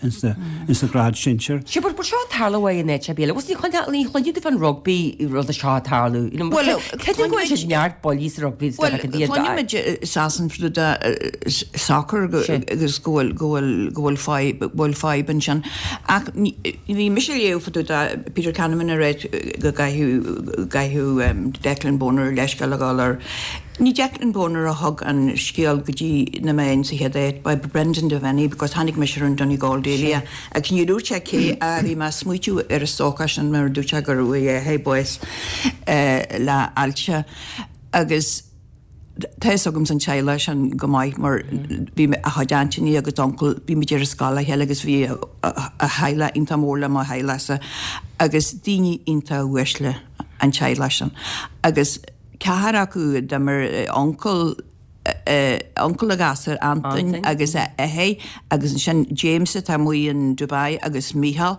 ins na grád sinsir. Sea, but seo ag tarlú uaidh in áit ar bith eile. Bhuel, ní chluinfidh ní chluinfidh tú fán rugbaí rud seo ag tarlú. You know, Bhuel, creidim go bhfuil siad neart buillí sa rugbaí is Bhuel, cluinimid i Sasain soccer agus go bhfuil go bhfuil go bhfuil fadhb go bhfuil fadhb ansin. Ach bhí mise ag léamh fá dtaobh de Peter Canavan ag ráit go gcaithfidh gcaithfidh Declan Bonner leithscéal a ghabháil air. Ní Declan Bonner a thug an scéal go dtí na meáin sa chéad áit, ba é Brendan Devenney because tháinig mise ar an Donegal Daily é agus ní dúirt sé cé a bhí mé ag smaoitiú ar an stócach sin mar a dúirt sé go raibh a athair bás le ailse agus tá fhios agamsa an teaghlach sin go maith mar bhí a chuid aintíní agus uncail, bhí muid ar an scoil le chéile agus bhí a theaghlach iontach mór le mo theaghlachsa agus daoine iontach uaisle an teaghlach sin agus Ceathrar acu a d'imir, uncail, uncail an ghasúir, Antain agus a athair agus ansin James atá amuigh in Dubai agus Mícheál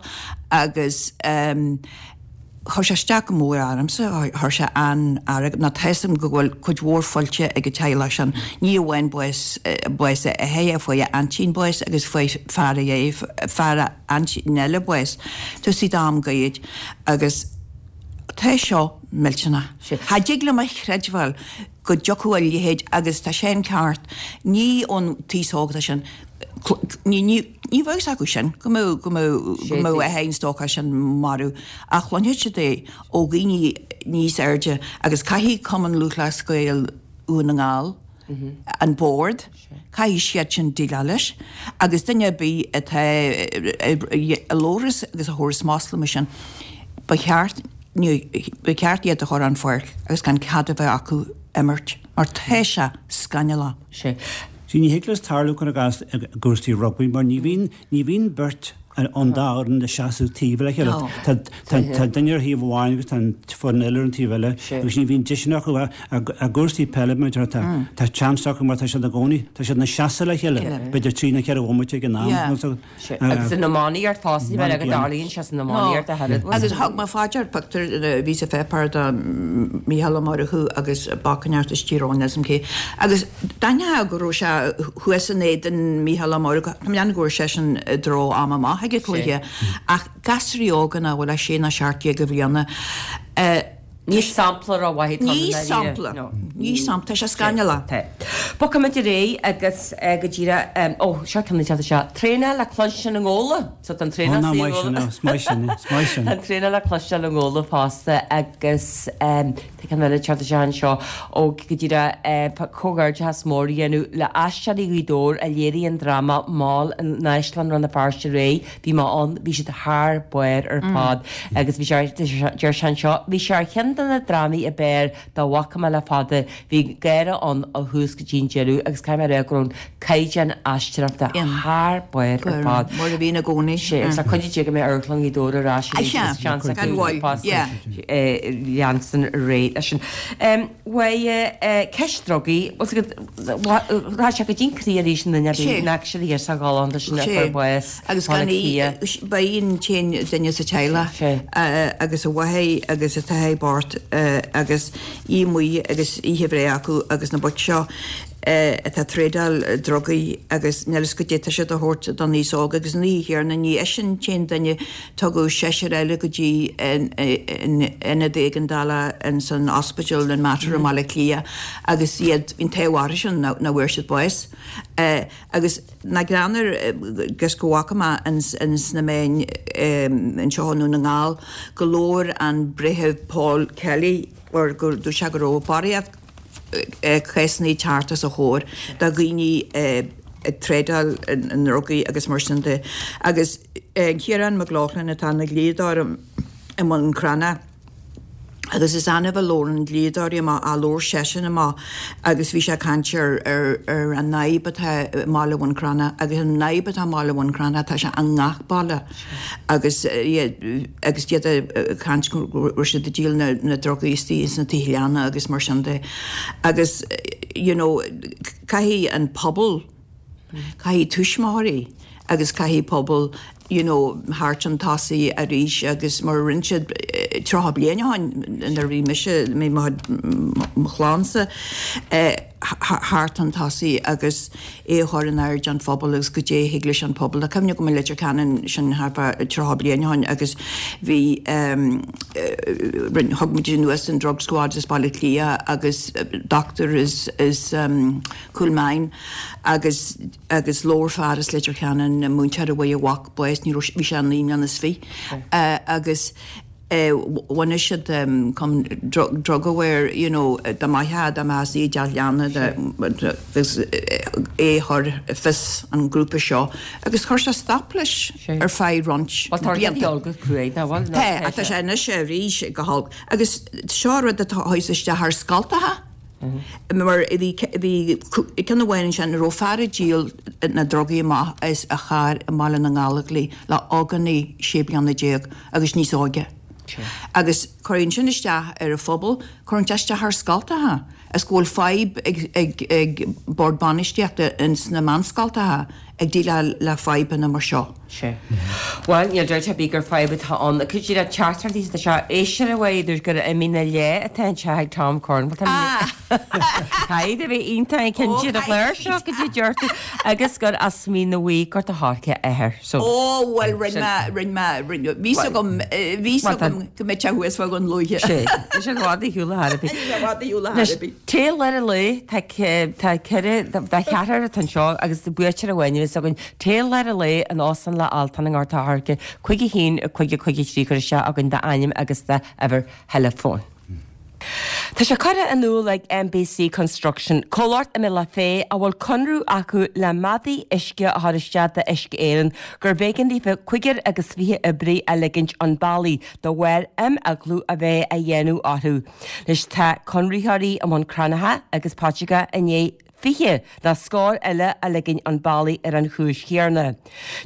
agus chuir sé isteach go mór ormsa, chuir sé an-fhearg, nó tá 'fhios agam go bhfuil cuid mhór faighte ag an teaghlach sin, ní amháin bás, bás a athar, fuair a aintín bás agus fuair fear a, fear a aintín eile bás, tá siad am gairid agus. Tá seo millteanach. Cha dtig liom a chreidbheáil go dtiocfadh a leithéid agus tá sé an ceart, ní ón t-aos óg atá sin, ní, ní, ní bheadh fhios acu sin go mbeadh, go mbeadh, go mbeadh athair an stócach sin marbh ach cluinfidh siad é ó dhaoine níos airde agus caithfidh Cumann Lúthchleas Gael Dhún na nGall, an Bord, caithfidh siad sin déileáil leis agus duine ar bith atá a labhras agus a thabharfas masla mar sin, ba cheart, ba cheart iad a chur an pháirc agus gan cead a bheith acu imirt mar tá sé scannalach. Sea, ní thig leis tarlú cuir i gcás i gcúrsaí rugbaí mar ní bhíonn, ní bhíonn beirt ón dá fhoireann ag seasamh taobh le chéile. Tá duine ar thaobh amháin agus tá an foireann eile ar an taobh eile agus ní bhíonn deiseanna acu i gcúrsaí peile mar tá tá seans acu mar tá siad i gcónaí, tá siad ina seasamh le chéile b'fhéidir trí nó cheithre bhomaite ag an am. Agus san iománaíocht fosta, ní bheidh go dtarlaíonn sé san iománaíocht a thuilleadh. Agus thug mé faoi dear pictiúr a bhí sa pháipéar de Mícheál Ó Murchú agus boc inteacht as Tír Eoghain is cé agus d'aithneofá go raibh sé thuas in éadan Mícheál Ó Murchú, tá mé ag déanamh go raibh seisean i dtreo am amach ag an cluiche, ach gasúraí óga nach bhfuil ach sé nó 17 de bhliana, Ní sampla rómhaith atá ann i ndáiríre. Ní sampla. Ní sampla. Tá sé scannalach. Tá. Bogfaimid ar aghaidh agus go díreach, ó, seo ceann atá seo. Traenáil le cluinstin i nGabhla. So tá an traenáil sa nGabhla. Is maith sin, is maith sin. Tá an traenáil le cloisteáil i nGabhla fosta agus tá ceann eile ag teacht isteach anseo ó go díreach comhghairdeachas mór a dhéanamh le Aisteoirí Ghaoth Dobhair a léirigh an dráma Mall in Áislann Rann na Feirste aréir. Bhí mé ann, bhí siad thar barr ar fad agus bhí sé, deir sé anseo, bhí sé ar cheann de na drámaí ab fhearr dá bhfaca mé le fada, bhí gáire ann ó thús go dtí an deireadh agus caithfidh mé a rá go raibh an caighdeán aisteoireachta thar barr ar fad. Mar a bhíonn i gcónaí. Sea, agus tá cuid de go mbeidh Amharclann Ghaoth Dobhair ar ais arís agus seans acu fosta leanstan ar aghaidh leis sin. Bhuel, ceist drugaí, tá sé go dtí'n croí arís an duine a bhí nach siad thiar sa ghalánta sin a fuair bás Agus gan í, ba í an t-aon duine sa teaghlach agus a mháthair agus a t-athair bocht agus í amuigh agus oíche bhreithe acu agus na boic seo. atá ag trádáil drugaí agus níl fhios goidé tá siad a thabhairt don aos óg agus an oíche chéanna ní eisean an t-aon duine, tugadh seisear eile go dtí an ionad éigeandála ins an ospidéal in Mater i mBaile Átha Cliath agus iad, bhí an t-ádh orthu sin nach bhfuair siad bás. Agus nach greannmhar agus go bhfaca mé ins na meáin anseo i nDún na nGall go labhair an Breitheamh Paul Kelly or go dúirt sé go raibh barraíocht cásanna ag teacht os a chomhair de dhaoine ag trádáil i ndrugaí agus mar sin de. Agus Ciarán McLaughlin atá ina dhlíodóir i mBun Cranncha agus is annamh a labhrann dlíodóirí amach ach labhair seisean amach agus bhí sé ag caint ar ar an fhadhb atá i mbaile Bhun Cranncha agus an fhadhb atá i mbaile Bhun Cranncha tá sé i ngach baile agus agus iad ag caint go raibh siad ag díol na ndrugaí istigh ins na tithe leanna agus mar sin de. Agus you know caithfidh an pobal, caithfidh tuismitheoirí agus caithfidh pobal you know theacht chun tosaigh arís agus mar a rinne siad 30 bliain ó shin nuair a bhí mise, mé mo chlannsa, theacht chun tosaigh agus é a chur in airde an phobail agus goidé a thig leis an pobal. Tá cuimhne agam i Leitir Ceanainn sin thart fá 30 bliain ó shin agus bhí rinne thug muid anuas an drug squad as Baile Átha Cliath agus doctor as as Cúil Mheáin agus agus labhair fear as Leitir Ceanainn múinteoir a bhfuair a mhac bás ní raibh bhí sé naoi mbliana is fiche agus bhunaigh siad cum drug aware you know dá mbeifeá dá mbeifeá i dteach leanna agus é a chur i bhfios an grúpa seo agus chuir sé stop leis ar feadh roinnt blianta. Tá, ach tá sé anois arís go holc agus seo rud atá chuaigh isteach ar scoltacha mar bhí bhí ceann amháin ansin a raibh fear ag díol na drugaí amach as a charr i mBaile na nGallóglach le ógánaigh 16 bliana agus níos óige. Agus cuireann sin isteach ar an phobal, cuireann sé isteach ar scoltacha, is go bhfuil fadhb ag, ag, ag bord bainistíochta ins na meánscoltacha ag déileáil le fadhbanna mar seo. Sea. Bhuel, níl dabht ar bith gur fadhb atá ann. Cuid de na teachtaireachtaí atá seo, éisteoir amháin a dúirt gur i Mín an Leá atá an teach ag Tom Cornwell. Tá Caithfidh a bheith iontach cinnte ar an chlár seo goidé a deir tú agus gur as Mín an Bhuí Gort a' Choirce a athair. So, Ó, bhuel, rinne mé, rinne mé, rinne, bhí 's agam, bhí 's agam go mbeadh sé thuas fá Dhún Lúiche. Sé, tá sé i bhfad ar shiúl ar chor ar bith. I bhfad ar shiúl ar chor ar bith. Téigh lár an lae, tá, tá ceithre, tá ceathrar atá anseo agus buaiteoir amháin a bheas againn. Téigh lár an lae in Óstán Loch Altan i nGort a' Choirce, 5 1 5 5 3 cuir isteach againn d'ainm agus d'uimhir theileafóin. Tá sé curtha in iúl ag MBC Construction, comhlacht i mBealach Féich a bhfuil conradh acu le maidí uisce a chur isteach d'Uisce Éireann, gurbh éigean daofa cúigear agus 20 oibrí a ligint 'un bealaigh de bharr imeaglú a bheith á dhéanamh orthu. Anois tá conraitheoirí i mBun Cranncha agus Paiteagó i ndiaidh 20 nó scór eile a ligint 'un bealaigh ar an chúis chéanna.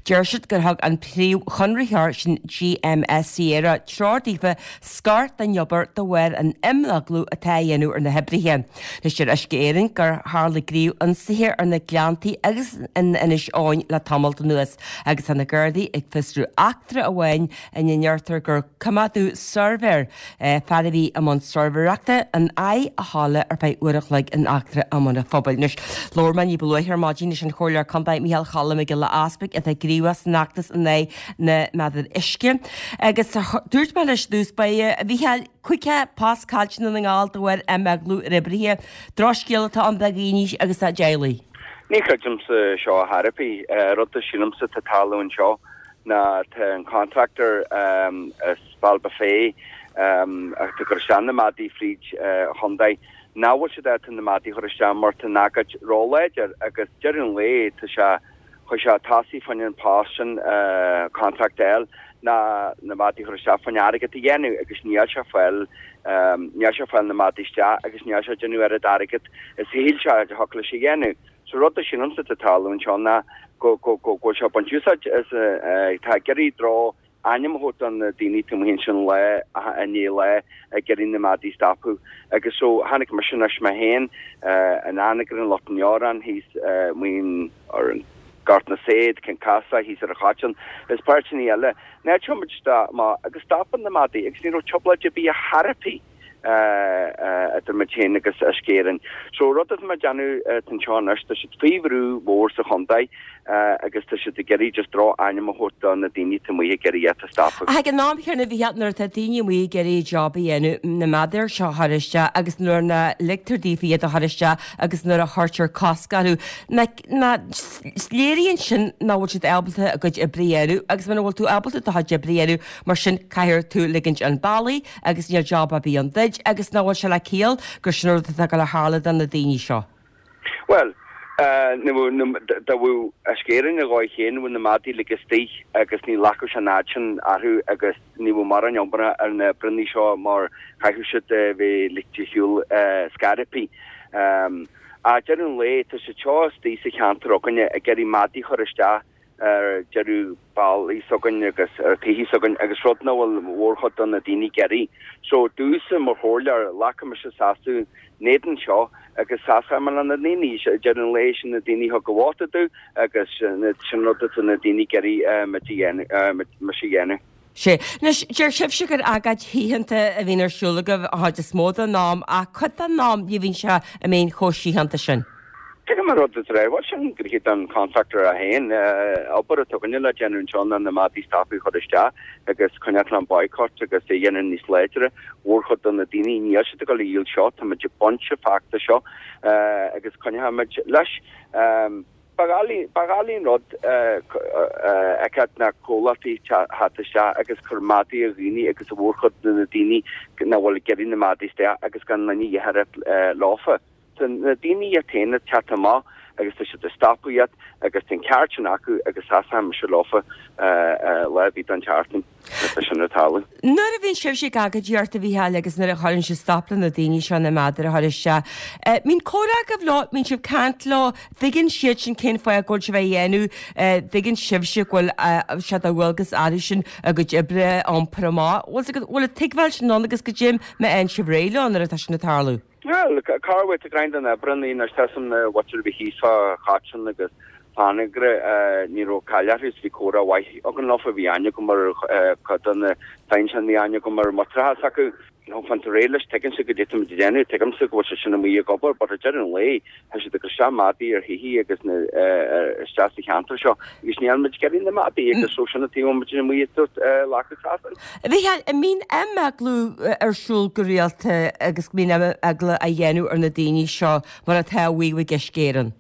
Deir siad gur thug an príomhchonraitheoir, sin GMS Sierra, treoir daofa scor den obair de bharr an imeaglú atá á dhéanamh ar na hoibrithe. Anois deir Uisce Éireann gur tharla gníomh-ionsaithe ar na Gleanntaí agus in Inis Eoghain le tamalt anuas agus tá na Gardaí ag fiosrú eachtra amháin ina ndeirtear gur coimeádadh suirbhéir fear a bhí i mbun suirbhéireachta in aghaidh a thola ar feadh uair a chloig in eachtra i mBun an Phobail. Anois, labhair mé ní ba luaithe ar maidin leis an Chomhairleoir Contae Micheál Cholm Mac Giolla Easpaig atá gníomhach san fheachtas in aghaidh na méadar uisce agus dúirt mé leis i dtús báire, a Mhichíl, 50 post caillte i nDún na nGall de bharr imeaglú ar oibrithe. Drochscéal atá ann do dhaoine agus dá dteaghlaigh. Ní chreidimse seo ar chor ar bith. Rud a sílimse atá ag tarlú anseo ná tá an contractor as Bealach Féich atá ag cur isteach na maidí fríd an chontae, nach bhfuil siad ábalta na maidí a chur isteach mar tá an agóid róláidir agus deireadh an lae tá sé, chuaigh sé tosaigh fá choinne an post sin, contract a fháil ná na maidí a chur isteach fá choinne airgead a dhéanamh agus níl sé fáil, níl sé fáil na maidí isteach agus níl sé ag déanamh oiread airgead is a shíl sé a thiocfadh leis a dhéanamh. So rud a sílimse atá ag tarlú anseo ná go bhfuil sé ag baint úsáid as, tá ag iarraidh droch ainm a thabhairt do na daoine taobh amuigh ansin lá i ndiaidh lá ag iarraidh na maidí a stopadh. Agus so chonaic mise anois mé féin in Anagaire, in Lucht an Leoráin, thíos amuigh ar an Gort na Saighead, Cionn Caslach, thíos ar an Choiteann, is páirteanna eile. Ná téann muid isteach amach agus stopann na maidí agus ní raibh trioblóid ar bith ar chor ar bith. Idir muid féin agus Uisce Éireann. So rud atá mé ag déanamh anseo anois, tá siad faoi bhrú mhór sa chontae agus tá siad ag iarraidh just droch-ainm a thabhairt do na daoine atá amuigh ag iarraidh iad a stopadh. Ach ag an am chéanna a Mhícheáil, nuair atá daoine amuigh ag iarraidh job a dhéanamh, na meadair seo a chur isteach agus nuair ná ligtear daofa iad a chur isteach agus nuair a chuirtear cosc orthu, nach léiríonn sin nach bhfuil siad ábalta a gcuid oibre a dhéanamh agus muna bhfuil tú ábalta do chuid oibre a dhéanamh, mar sin caithfidh tú ligint an bealaigh agus níl job ar bith ann duit agus nach bhfuil sé le ciall gur sin an rud atá ag dul a tharlú do na daoine seo. Bhuel, dá bhfuil Uisce Éireann a dhóigh féin, bheadh na madaí uilig istigh agus ní ghlacfadh sé an fhad sin orthu agus ní bheadh mórán iomarca ar na oibreanna seo mar chaithfeadh siad a bheith ligte ar shiúl scor ar bith. Ach deireadh an lae, tá siad seo istigh sa cheantar againne ag iarraidh madaí a chur isteach ar deireadh ballaí s'againn agus ar tithe s'againn agus rud nach bhfuil mhórchuid de na daoine ag iarraidh. So domhsa mar chomhairleoir, ghlacfaidh mise seasamh in éadan seo agus seasfaidh mé le na daoine. Deireadh an lae sin na daoine a thug a vóta domh agus sin rud atá na daoine ag iarraidh muid a dhéanamh, mise a dhéanamh. Sea. Anois, deir sibhse gur agóid shíochánta a bhíonn ar siúl agaibh an chuid is mó den am, ach cuid den am ní bhíonn sé i mbíonn chomh síochánta sin. Tuigim an rud atá bhuel sin gnoithe don contractor é féin. Obair atá againne le déanamh anseo ná na madaí stopadh a chur isteach agus coinneáil an boycott agus é a dhéanamh níos láidre. Mhórchuid de na daoine níl siad ag dul a dhíol seo, tá muid ag baint an feachtas seo agus coinneoidh muid leis. Ba dhoiligh an rud a fheiceáil na comhlachtaí teacht isteach agus cur madaí ar dhaoine agus a mhórchuid de na daoine nach bhfuil ag iarraidh na madaí isteach agus gan duine a dhath leofa. Tá na daoine iad féin ag teacht amach agus tá siad ag stopadh iad agus tá an ceart sin acu agus seasfaidh mise leofa lá ar bith den tseachtain má tá sin ag tarlú. Nuair a bhíonn sibhse ag agóidíocht a Mhícheáil agus nuair a chuireann sibh stop le na daoine seo na meadair a chur isteach, mbíonn comhrá agaibh leo, mbíonn sibh ag caint leo, dtuigeann siad sin cén fáth go bhfuil sibh á dhéanamh, dtuigeann sibhse go bhfuil sé de dhualgas orthusan a gcuid oibre a iompar amach. Bhfuil bhfuil an tuigbheáil sin ann agus goidé má fhaigheann sibh réidh leo nuair atá sin ag tarlú. Bhuel, cá bhfuil tú greim den oibre an anois tá san mhuintir a bhí thíos fá Choiteann agus Fanagra, ní raibh caill orthu is bhí comhrá mhaith againn leofa, bhí aithne agam ar chuid de na pinsean, bhí aithne agam ar mhuinteartha s'acu. Fantar réidh leis, tuigimse goidé tá muid ag déanamh, tuigimse go bhfuil siad sin amuigh ag obair, but ag deireadh an lae, tá siad ag cur isteach madaí ar thithe agus na, isteach sa cheantar seo agus níl muid ag iarraidh na madaí agus so sin an taobh a bhfuil muid amuigh ag tabhairt lacadh trasna. A Mhícheáil, an mbíonn imeaglú ar siúl go rialta agus go mbíonn imeaglú á dhéanamh ar na daoine seo mar atá á mhaíomh ag Uisce Éireann?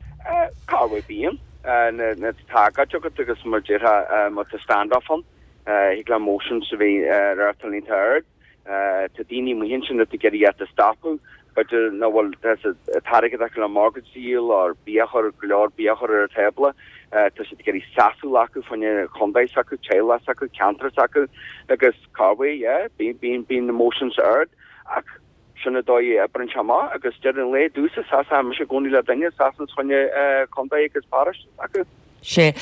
Cá bhfuil bíonn na tá agóid agat agus mar déarfá má tá stand-off ann, thig le emotions a bheith réachtáil iontach ard. Tá daoine amuigh ansin atá ag iarraidh iad a stopadh, b'fhéidir nach bhfuil an t-airgead acu le mortgage a dhíol or bia a chur, go leor bia a chur ar an tábla. Tá siad ag iarraidh seasamh acu fá choinne contae s'acu, teaghlach s'acu, ceantar s'acu agus cá bhfuil, yeah, bíonn, bíonn emotions ard ach sin an dóigh a oibreann sé amach agus deireadh an lae domhsa seasfaidh mise i gcónaí le duine, seasann fá choinne contae agus paróiste s'acu. Sea.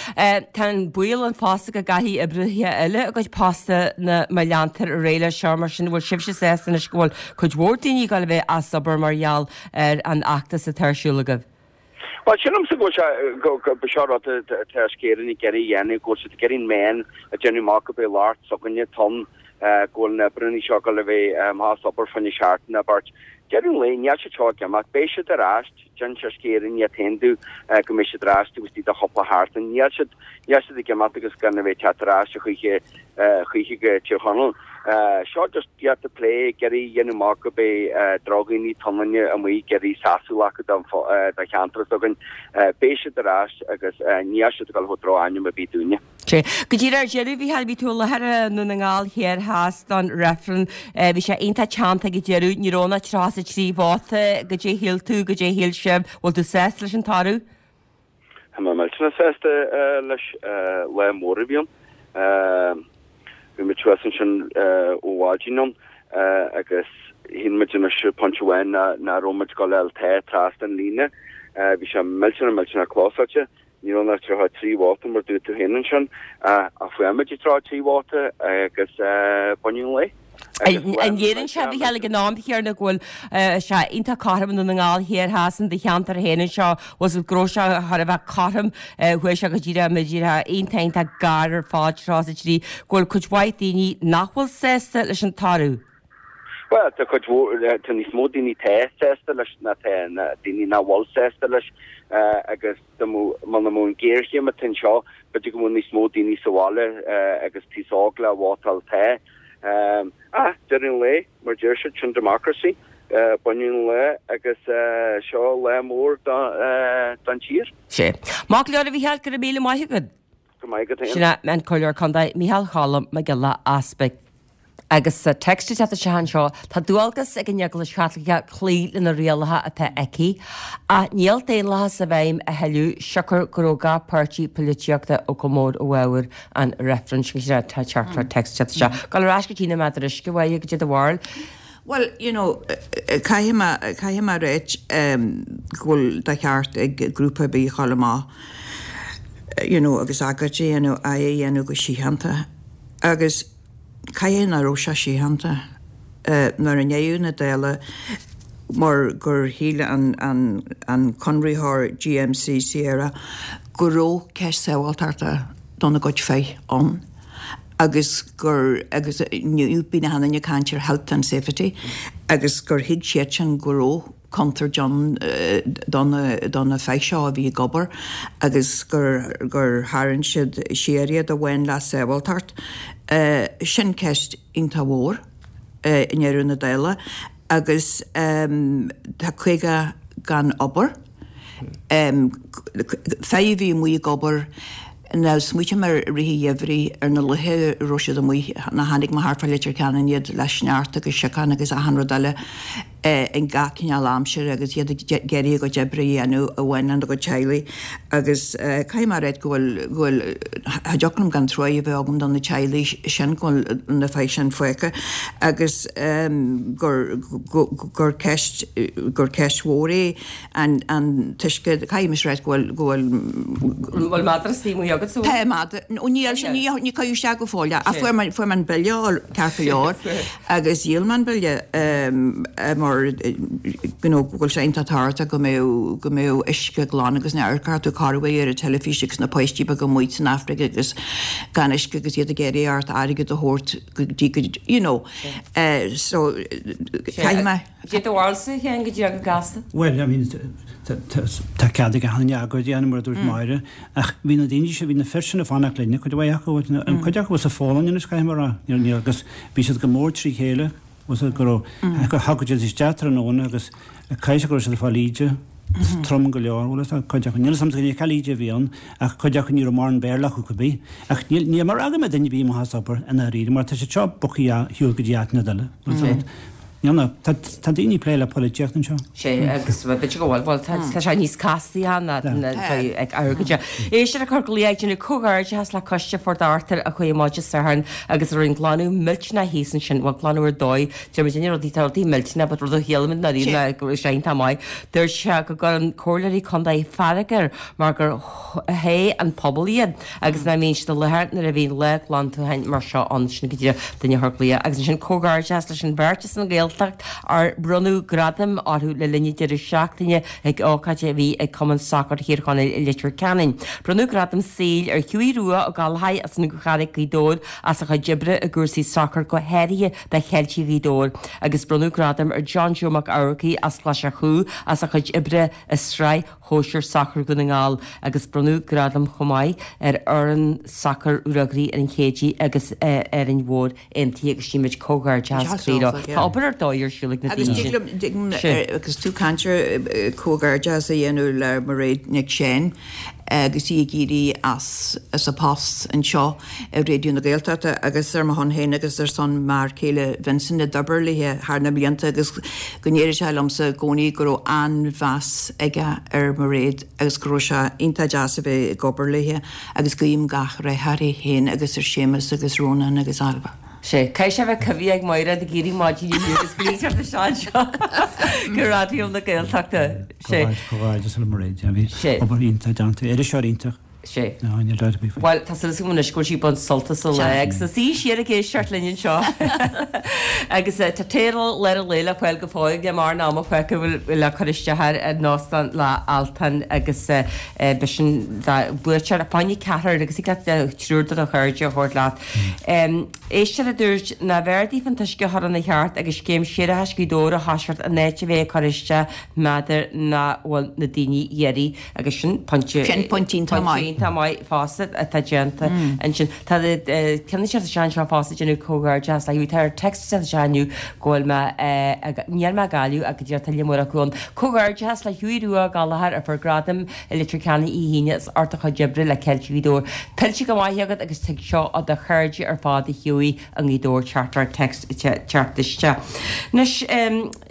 Tá an baol ann fosta go gcaillfidh oibrithe eile a gcuid postanna má leantar ar aghaidh leis seo, mar sin bhfuil sibhse sásta anois go bhfuil cuid mhór daoine ag dul a bheith as obair mar gheall ar an fheachtas atá ar siúl agaibh? Bhuel, sílimse go bhfuil sé, go, go, seo rud atá Uisce Éireann ag iarraidh a dhéanamh, go bhfuil siad ag iarraidh an meán a déanamh amach go b'é lucht s'againne atá ann, go bhfuil na oibreanna seo ag dul a bheith amach as obair fá choinne seachtain nó beirt. Deireadh an lae, níl siad seo ag imeacht, beidh siad ar ais, D'inis Uisce Éireann iad féin domh go mbeidh siad ar ais taobh istigh de chúpla sheachtain. Níl siad, níl siad ag imeacht agus gan a bheith ag teacht ar ais a choíche, choíche go Tír Chonaill. Seo just iad ag plé, ag iarraidh a dhéanamh amach go beidh drochdhaoine tionlainne amuigh ag iarraidh seasamh acu don, do cheantar s'againn. Beidh siad ar ais agus níl siad ag dul a thabhairt droch-ainm ar bith dúinne. Sea. Go díreach ar deireadh, a Mhícheáil, bhí tú i láthair i nDún na nGall Thiar Theas don reifreann. Bhí sé iontach teannta ag an deireadh, ní raibh ann ach 33 vóta. Goidé a shíl tú, goidé a shíl sibh, bhfuil tú sásta leis an toradh? Tá mé millteanach sásta leis. Lá mór a bhí ann. Bhí muid thuas ansin ó mhaidin ann agus shíl muid anois pointe amháin nach raibh muid ag dul a fháil tá trasna an líne. Bhí sé millteanach millteanach clósáilte. Ní raibh ach 33 vóta mar dúirt tú féin ansin, ach fuair muid 33 vóta agus baineadh an lae. An léiríonn sé, a Mhícheáil, ag an am chéanna go bhfuil sé iontach cothrom i nDún na nGall Thiar Theas in do cheantar féin anseo, bhfuil go raibh sé thar a bheith cothrom, chuaigh sé go díreach, díreach iontach iontach gar ar fad 33, go bhfuil cuid mhaith daoine nach bhfuil sásta leis an toradh. Bhuel, tá cuid mhór, tá níos mó daoine atá sásta leis ná tá na daoine nach bhfuil sásta leis agus dá mbeadh, muna mbeadh an ghéarchéim atá anseo, b'fhéidir go mbeadh níos mó daoine sa bhaile agus taos óg le vótáil tá. Ach, deireadh an lae, mar deir siad, sin democracy, baineadh an lá agus seo lá mór don tír. Sea. Maith go leor a Mhícheáil, go raibh míle maith agat. Go maith agat féin. Sin é an Comhairleoir Contae Micheál Cholm Mac Giolla Easpaig. Agus sa text atá isteach anseo, tá dualgas ag an Eaglais Chaitliceach cloí le na rialacha atá aici, ach níl daonlathas i bhfeidhm a thuilleadh siocair go raibh gach páirtí poilitíochta go mór i bhfabhar an reifrinn. Sin é tá teachtaireacht text isteach. Gabháil ar ais go dtí na méadair uisce, Mháire, goidé do bharúil. Bhuel, you know, caithfidh mé, caithfidh mé a ráit go bhfuil de cheart ag grúpa ar bith a dhul amach, you know, agus agóid a dhéanamh, é a dhéanamh go síochánta. Agus caithfidh nach raibh sé síochánta nuair i ndeireadh na dála mar gur shíl an, an, an conraitheoir GMC Sierra go raibh ceist sábháilteachta dona gcuid fir ann. agus gur, agus inniu bíonn achan duine ag caint ar health and safety, agus gur thuig siadsan go raibh contúirt ann do na, do na fir seo a bhí ag obair agus gur, gur tharraing siad siar iad a bhain le sábháilteacht. Sin ceist iontach mhór i ndeireadh na dála agus tá 50 gan obair. Fir a bhí amuigh ag obair, now smaoitim ar rith an gheimhridh, ar na laethe a raibh siad amuigh, nuair a chonaic mé thart fá Leitir Ceanainn iad le sneachta agus siocán agus achan rud eile in gach cineál aimsire agus iad ag iarraidh a gcuid oibre a dhéanamh a bhain lena gcuid teaghlaigh agus caithfidh mé a ráit go bhfuil, go bhfuil, cha dtiocfadh liom gan truaigh a bheith agam do na teaghlaigh sin, go bhfuil na fir sin fágtha agus gur, gur ceist, gur ceist mhór é. An an t-uisce, caithfidh mise a ráit go bhfuil, go bhfuil. An bhfuil madra istigh amuigh agat sa Tá madra, nó níl sin, ní, ní cuireadh isteach go fóill é, ach fuair mé, fuair mé an bille a fháil ceart go leor agus dhíol mé an bille mar you know go bhfuil sé iontach tábhachtach go mbeadh, go mbeadh uisce glan agus nuair a amharcfá tú corruair ar an teilifís agus na páistí beaga amuigh san Afraic agus gan uisce agus iad ag iarraidh ort airgead a thabhairt go dtí go, you know, so caithfidh mé. Cad é do bharúilsa, a Sheáin, go díreach go gasta? Bhuel, I mean, tá cead ag achan duine agóid a dhéanamh, mar a dúirt Máire, ach bhí na daoine sin, bhí na fir sin ag fanacht linne, cuid mhaith acu, an cuid acu sa Pholainn anois, caithfidh mé a rá, níor, agus bhí siad go mór trí chéile, bhfuil a fhios agat, go raibh, gur thagadh siad isteach tráthnóna agus caithfidh sé go raibh siad ag fáil íde trom go leor, bhfuil a fhios agat, cuid acu, níl a fhios agam cén íde a bhí ann, ach cuid acu ní raibh mórán Béarla acu cibé. Ach níl, níl mé ag rá go mbeidh duine ar bith amach as obair i ndáiríre, mar tá siad seo bogtha ar shiúl go dtí áiteanna eile, bhfuil a fhios agat. Níl ná, tá, tá daoine ag plé le polaitíocht anseo. Sea, agus b'fhéidir go bhfuil, bhuel, tá, tá sé níos castaí ná, ná, ag amharc air. Éisteoir ag cur glaoch ag déanamh comhghairdeachas le Coiste Phort Arthur a chuaigh amach Dé Sathairn agus a rinne glanadh millteanach thíos ansin, bhuel, glanadh ar dóigh, deir muid rudaí, tá rudaí millteanach, but rud a shílimid nár ná go raibh sé iontach maith. Dúirt sé go gcuireann comhairleoirí contae fearg air mar gur thogh an pobal iad. agus nach mbíonn siad i láthair nuair a bhíonn lá glantúcháin mar seo ann. Sin go díreach duine a chuir glaoch. Agus ansin comhghairdeas leis an bheirt as an Ghaeltacht ar bronnadh gradaim orthu le linn an deireadh seachtaine ag ócáid a bhí ag Cumann Sacair Thír Chonaill i Leitir Ceanainn. Bronnadh gradam saoil ar Hughie Rua Ó Gallchóir as an Charraig, Gaoth Dobhair as a chuid oibre i gcúrsaí sacair go háirithe do Cheiltigh Ghaoth Dobhair agus bronnadh gradam ar John Joe Mac Eamharcaigh as Glas a' Chú as a chuid oibre i Sraith Shóisir Sacair Dhún na nGall agus bronnadh gradam chomh maith ar fhoireann sacair Ruagairí an Chéidigh agus Árainn Mhór Aontaithe agus guímid comhghairdeachas croí leo. Tá obair ar dóigh ar siúl ag na daoine sin. Agus dig liom, agus tú ag caint ar comhghairdeachas a dhéanamh le Mairéad Nic Seáin agus í ag éirí as as a post anseo i Raidió na Gaeltachta agus ar mo shon féin agus ar son m'fhear céile Vincent a d'oibir léi thar na blianta agus go ndeireadh sé liomsa i gcónaí go raibh an-mheas aige ar Mhairéad agus go raibh sé iontach deas a bheith ag obair léi agus guím gach rath uirthi féin agus ar Séamus agus Rónán agus Ailbhe. Sea, caithfidh sé a bheith cuimhní ag Mairéad ag éirí maidin inniu agus glaoch isteach anseo go Raidió na Gaeltachta. Sea. Comhghairdeas le Mairéad, bhí obair iontach déanta, iriseoir iontach. Sea. Bhuel, tá súil agam anois go bhfuil sí ag baint sult as an lá agus í ag suí siar ag éisteacht linn anseo. Agus tá teideal Lár an Lae le fáil go fóill le mar an am a feiceadh bhfuil le cur isteach air ar an óstán le Altan agus b'shin do bhuaiteoir fá choinne ceathrar agus thig leat triúr de do chairde a thabhairt leat. Éisteoir a dúirt nárbh fhearr daofa an t-uisce a chur ina cheart agus scéim séarachais Ghaoth Dobhair a thoiseacht in áit a bheith ag cur isteach n'fheadar ná bhfuil na daoine dheiridh agus sin pointe Sin pointe iontach maith. Pointe iontach maith fosta atá déanta ansin. Tá ceann ag teacht isteach anseo fosta ag déanamh comhghairdeas le Hughie. Tá ar text ag teacht isteach inniu go bhfuil mé níl mé ag Gaillimh ach go díreach tá liom acu ann. Comhghairdeas le Hughie Rua Ó Gallchóir a fuair gradam i Leitir Ceanainn Oíche hAoine as ucht a chuid oibre le Ceiltigh Ghaoth Dobhair. Tuillte go maith agat agus tig seo ó do chairde ar fad a Hughie i nGaoth Dobhair teachtaireacht text ag teacht isteach. Anois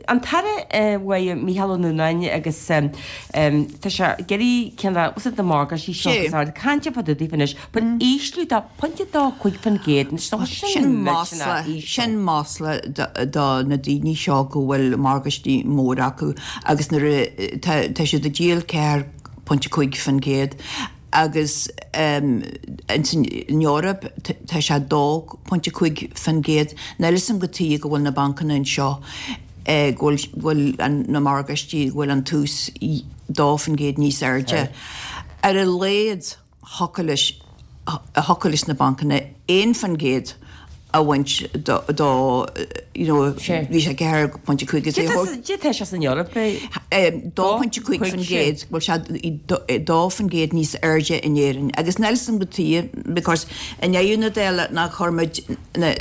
an tAire uaidh Mícheál Ó Nuanáin agus tá sé ag iarraidh ceann de what's it na morgáistí seo agus ard cainte fá dtaobh anois but ísliú de 0.25% anois tá sin Sin masla, sin masla do na daoine seo go bhfuil morgáistí móra acu agus nuair a tá tá siad ag díol 4.5% agus ins an Eoraip tá sé 2.5%. Níl 'fhios a'm cad tuige go bhfuil na bancanna anseo go bhfuil go bhfuil na morgáistí go bhfuil an t-ús 2% níos airde. Ar a laghad thiocfadh leis thiocfadh leis na bancanna 1% a bhaint do you know bhí sé 4.5 is é Cad é tá sé san Eoraip? 2.5% bhfuil sé 2% níos airde in Éirinn agus níl 'fhios a'm cad tuige because i ndeireadh na dála nach chuir muid na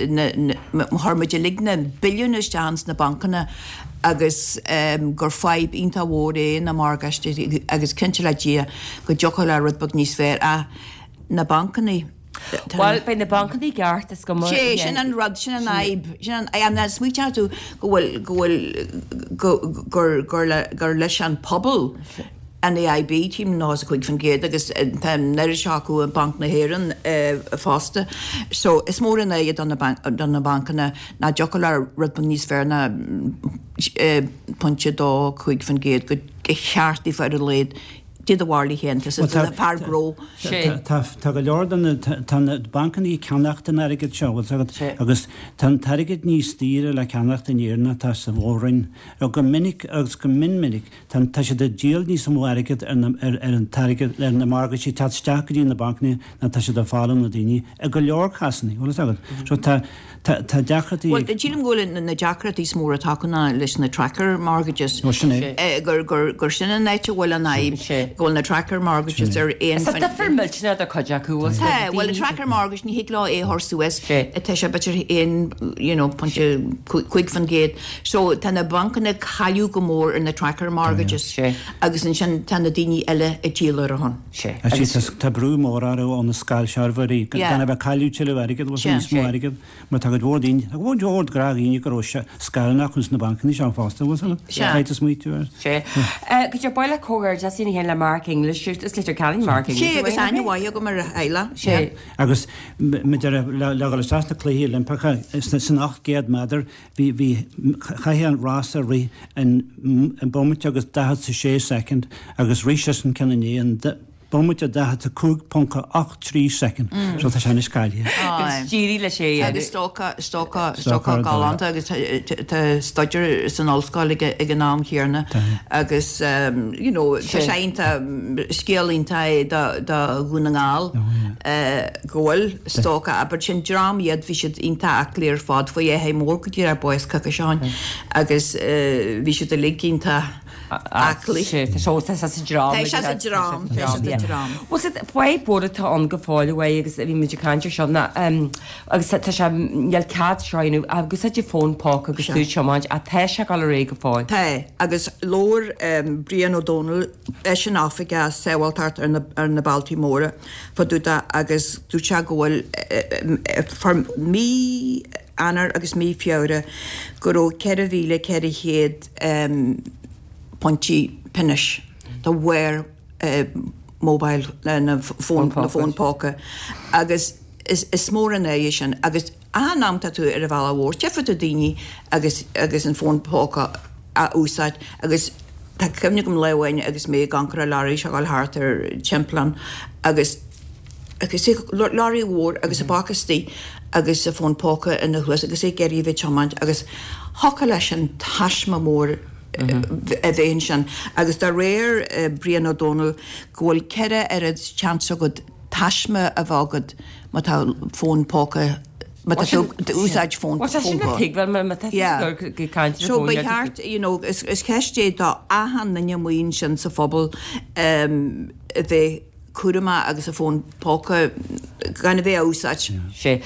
chuir muid uilig na billiúin isteach ins na bancanna agus gur fadhb iontach mhór é na morgáistí agus cinnte le Dia go dtiocfadh le rud beag níos fearr ach na bancanna Bhuel, beidh na bancanna i gceart is cuma. Sé, sin an rud, sin an fhadhb, sin an, an smaointeodh tú go bhfuil, go bhfuil, go, gur, gur le, gur leis an pobal an AIB, tím 95% agus tá an oiread seo acu i Banc na hÉireann fosta. So is mór an náire do na, do na bancanna nach dtiocfadh le rud beag níos fearr ná pointe 2, 5% go cheart daofa ar a laghad Dé do bharúil féin, tá fear gnó. Tá go leor de na, tá na bancanna ag ceannacht an airgid seo, bhfuil 's agat, agus tá an t-airgead níos daoire le ceannacht in Éirinn ná atá sa Mhór-Roinn. Go minic agus go mion minic tá, tá siad ag díol níos mó airgead ar na, ar, ar an t-airgead, ar na morgáistí ag teacht isteach go dtí na bancanna ná tá siad ag fáil ó na daoine i go leor cásanna, bhfuil 's agat. So tá, Tá, tá deacrachtaí ag. Bhuel, sílim go bhfuil na deacrachtaí is mór atá acu ná leis na tracker mortgages. Ó, sin é. Eh, gur, gur, gur sin an áit a bhfuil an fhadhb, Sin é. go bhfuil na tracker mortgages ar aon Is tá difear millteanach idir cuid acu, bhfuil Tá, bhuel, an tracker mortgage, ní thig leo é a chur suas. Sé. Tá sé b'fhéidir aon, you know, pointe 5%. So, tá na bancanna ag cailleadh go mór ar na tracker mortgages. Sé. Agus ansin tá na daoine eile ag díol ar a shon. Sé. Agus tá brú mór orthu ó na scairshealbhóirí gan a bheith ag cailleadh tuilleadh airgid, bhfuil níos mó airgid, mar tá cuid mhór daoine, tá cuid mhór gnáthdhaoine go raibh scaireanna acu sna bancanna seo fosta, bhfuil san caithfidh tú smaoitiú air. Sé. Go deo baile comhghairdeas lena chéile le Mark English, is Leitir Ceanainn Mark English. Sé, agus aithne mhaith agam ar a theaghlach. Sé. Agus maidir le dhul isteach sna Cluichí Oilimpeacha san 800 méadar, Bhí, bhí, chaithfeadh an rása rith in, in bomaite agus 46 soicind agus rith seisean ceann inné in bomaite 45.83 soicind. So tá sé anois cáilithe. Agus d'éirigh leis é. Agus stócach, stócach, stócach galánta agus tá staidéar san ollscoil aige ag an am chéanna agus you know tá sé iontach, scéal iontach é do, do Dhún na nGall. go bhfuil stócach abair sin dream iad bhí siad iontach aclaí ar fad fuair Fhathaí Mór go dtí ar bás coicís ó shin agus bhí siad uilig iontach aclaí. Sé tá sé tá sé sa dream. Tá sé sa dream tá sé sa dream. Bhuel sa fadhb mhór atá ann go fóill uaidh agus bhí muid ag caint ar seo ná agus tá sé níl cead seo a dhéanamh ach úsáid fón póca agus tú ag tiomáint ach tá sé ag dul ar aghaidh go fóill. Tá agus labhair Brian Ó Dónaill eisean oifigeach sábháilteacht ar na ar na bealtaí móra. fá dtaobh de agus dúirt sé go bhfuil for mí Eanáir agus mí Feabhra go raibh 4,400 pointí pionóis de bharr mobile na fón na fón póca agus is mór an náire sin agus achan am tá tú ar an bhealach mhór tchífidh tú daoine agus agus an fón póca á úsáid agus tá cuimhne agam lá amháin agus mé ag amharc ar an leoraí seo ag dul thart ar timpeallán agus. Agus é lorry mhór agus a bpaca istigh agus a fón póca ina chluas agus é ag iarraidh a bheith ag tiomáint agus thiocfadh leis an taisme mór a bheith ansin agus de réir Brian Ó Dónaill go bhfuil 4 oiread seans agat taisme a bheith agat má tá fón póca má tá tú ag úsáid fón Bhuel tá sin le tuigbheáil má tá tú ag caint ar an So ba cheart you know is ceist é do achan duine amuigh ansin sa phobal a bheith cúramach agus a fón póca gan a bheith á úsáid. Sea.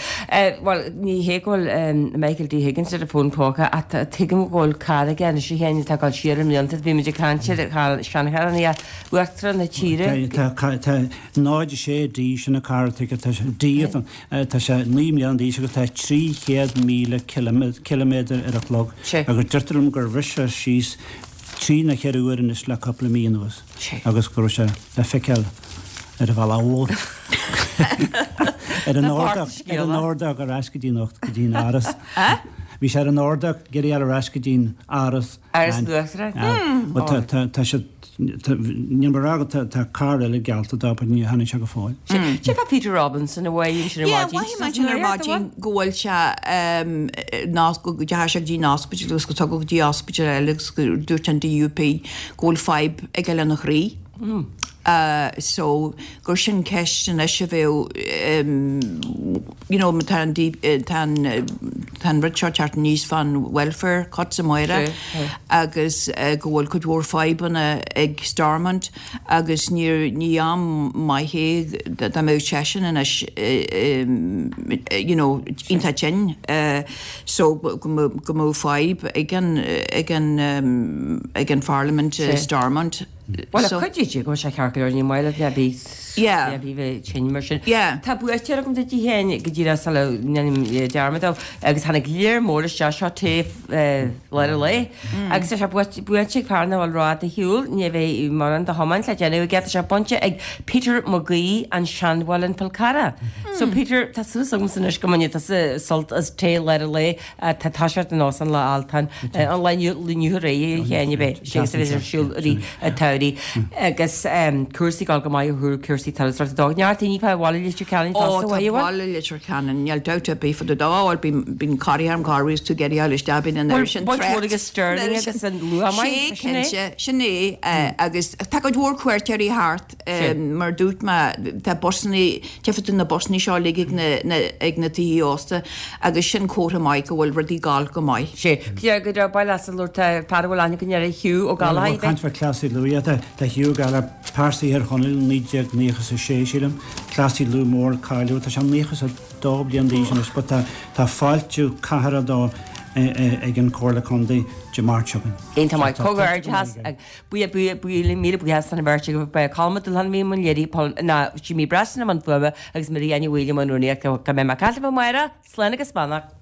Bhuel, ní hé go bhfuil Michael D. Higgins ar a fón póca ach tuigim go bhfuil carr aige anois a Sheáin atá ag dul siar i mblianta. Bhí muid ag caint ar seancharranna Uachtarán na tíre. Tá 06 D sin an carr atá aige. Tá sé D tá sé 9 mbliana d'aois agus tá 300,000 ciliméadar ar a chlog agus deirtear liom gur bhris sé síos trí nó cheithre uair anois le cúpla mí anuas. agus go raibh sé le feiceáil ar an bhealach mhór ar an ardach ar an ardach ar ais go dtí an go dtí an áras. Bhí sé ar an ardach ag iarraidh ar ais go dtí an áras. Áras an Uachtaráin. Tá tá tá sé níl mé ag rá go tá tá carr eile geallta dó but ní tháinig sé go fóill. Cé fá Peter Robinson a mhaíonn sin ar Yeah, maidin? mhaígh mé sin ar maidin go bhfuil sé go ndeachaigh sé go dtí an ospidéal agus go tugadh go dtí ospidéal eile agus go dúirt an DUP go bhfuil fadhb aige lena chroí. So gur sin ceist anois a bheadh you know tá an tá an tá an rud seo teacht aníos fán welfare cuts amárach agus go bhfuil cuid mhór fadhbanna ag Stormont agus níor ní am maith é dá mbeadh seisean anois you know iontach tinn so go go mbeadh fadhb ag an ag an ag an Pharlaimint i Stormont. Bhuel, So. cuid de go bhfuil sé ceart go leor, ní maith leat a bheith Yeah. a bheith tinn mar sin. Yeah. Tá buaiteoir agam duit a Sheáin go díreach sula ndéanaim dearmad dó agus tháinig léir mór isteach seo taobh lár an lae agus tá sé buaite ag fear nach bhfuil rófhada ar shiúl, ní bheidh mórán de thiomáint le déanamh aige, tá sé bainte ag Peter Magee an Seanmhuileann Fál Carrach. So Peter, tá súil agamsa anois go mbainfidh tusa sult as tae lár an lae Tá toiseacht an óstán lá Altan an lá inniu aréir a Sheáin a bheith sé agus a bheith ar siúl i rith an tsamhraidh agus cúrsaí ag dul go maith ó thaobh cúrsaí turasóireachta dó. Neart daoine fá bhaile Leitir Ceanainn Ó fosta, tá bhfuil? baile Leitir Ceanainn, níl dabht ar bith fá dtaobh dó, bhuel bíonn bíonn corraithe orm corruair is tú ag iarraidh a ghabháil isteach bíonn an oiread sin Baint mhór ag Stirling agus an Luamhain, Sé sin é? cinnte, sin é agus tá cuid mhór cuairteoirí thart. Mar a dúirt mé, tá busannaí, tchífidh tú na busannaí seo uilig ag na, na, ag na tithe ósta agus sin comhartha maith go bhfuil rudaí ag gabháil go maith. Sé. Go raibh bail as an lucht fear a bhfuil aithne againn air, Hugh Ó Gallchóir. Bhuel, caint fá Cleasaí Lú, yeah, tá, tá Hugh Ó Gallchóir, pearsa Thír Chonaill, 1996, sílim, Cleasaí Lú mór cáiliúil, tá sé 92 bliain d'aois anois, but tá, tá fáiltiú cathartha dó ag an Comhairle Contae Dé Máirt seo chugainn. Iontach maith. Comhghairdeas. Míle buíochas don bheirt agaibh. Ba é Colm Ó Dúshláin a bhí i mbun léirithe, Paul, ná Jimí Breslin i mbun fuaime agus Marie Annie Uí Fhloinn i mbun rúnaíochta. Go mbeidh mé ag caint libh amárach. Slán agus beannacht.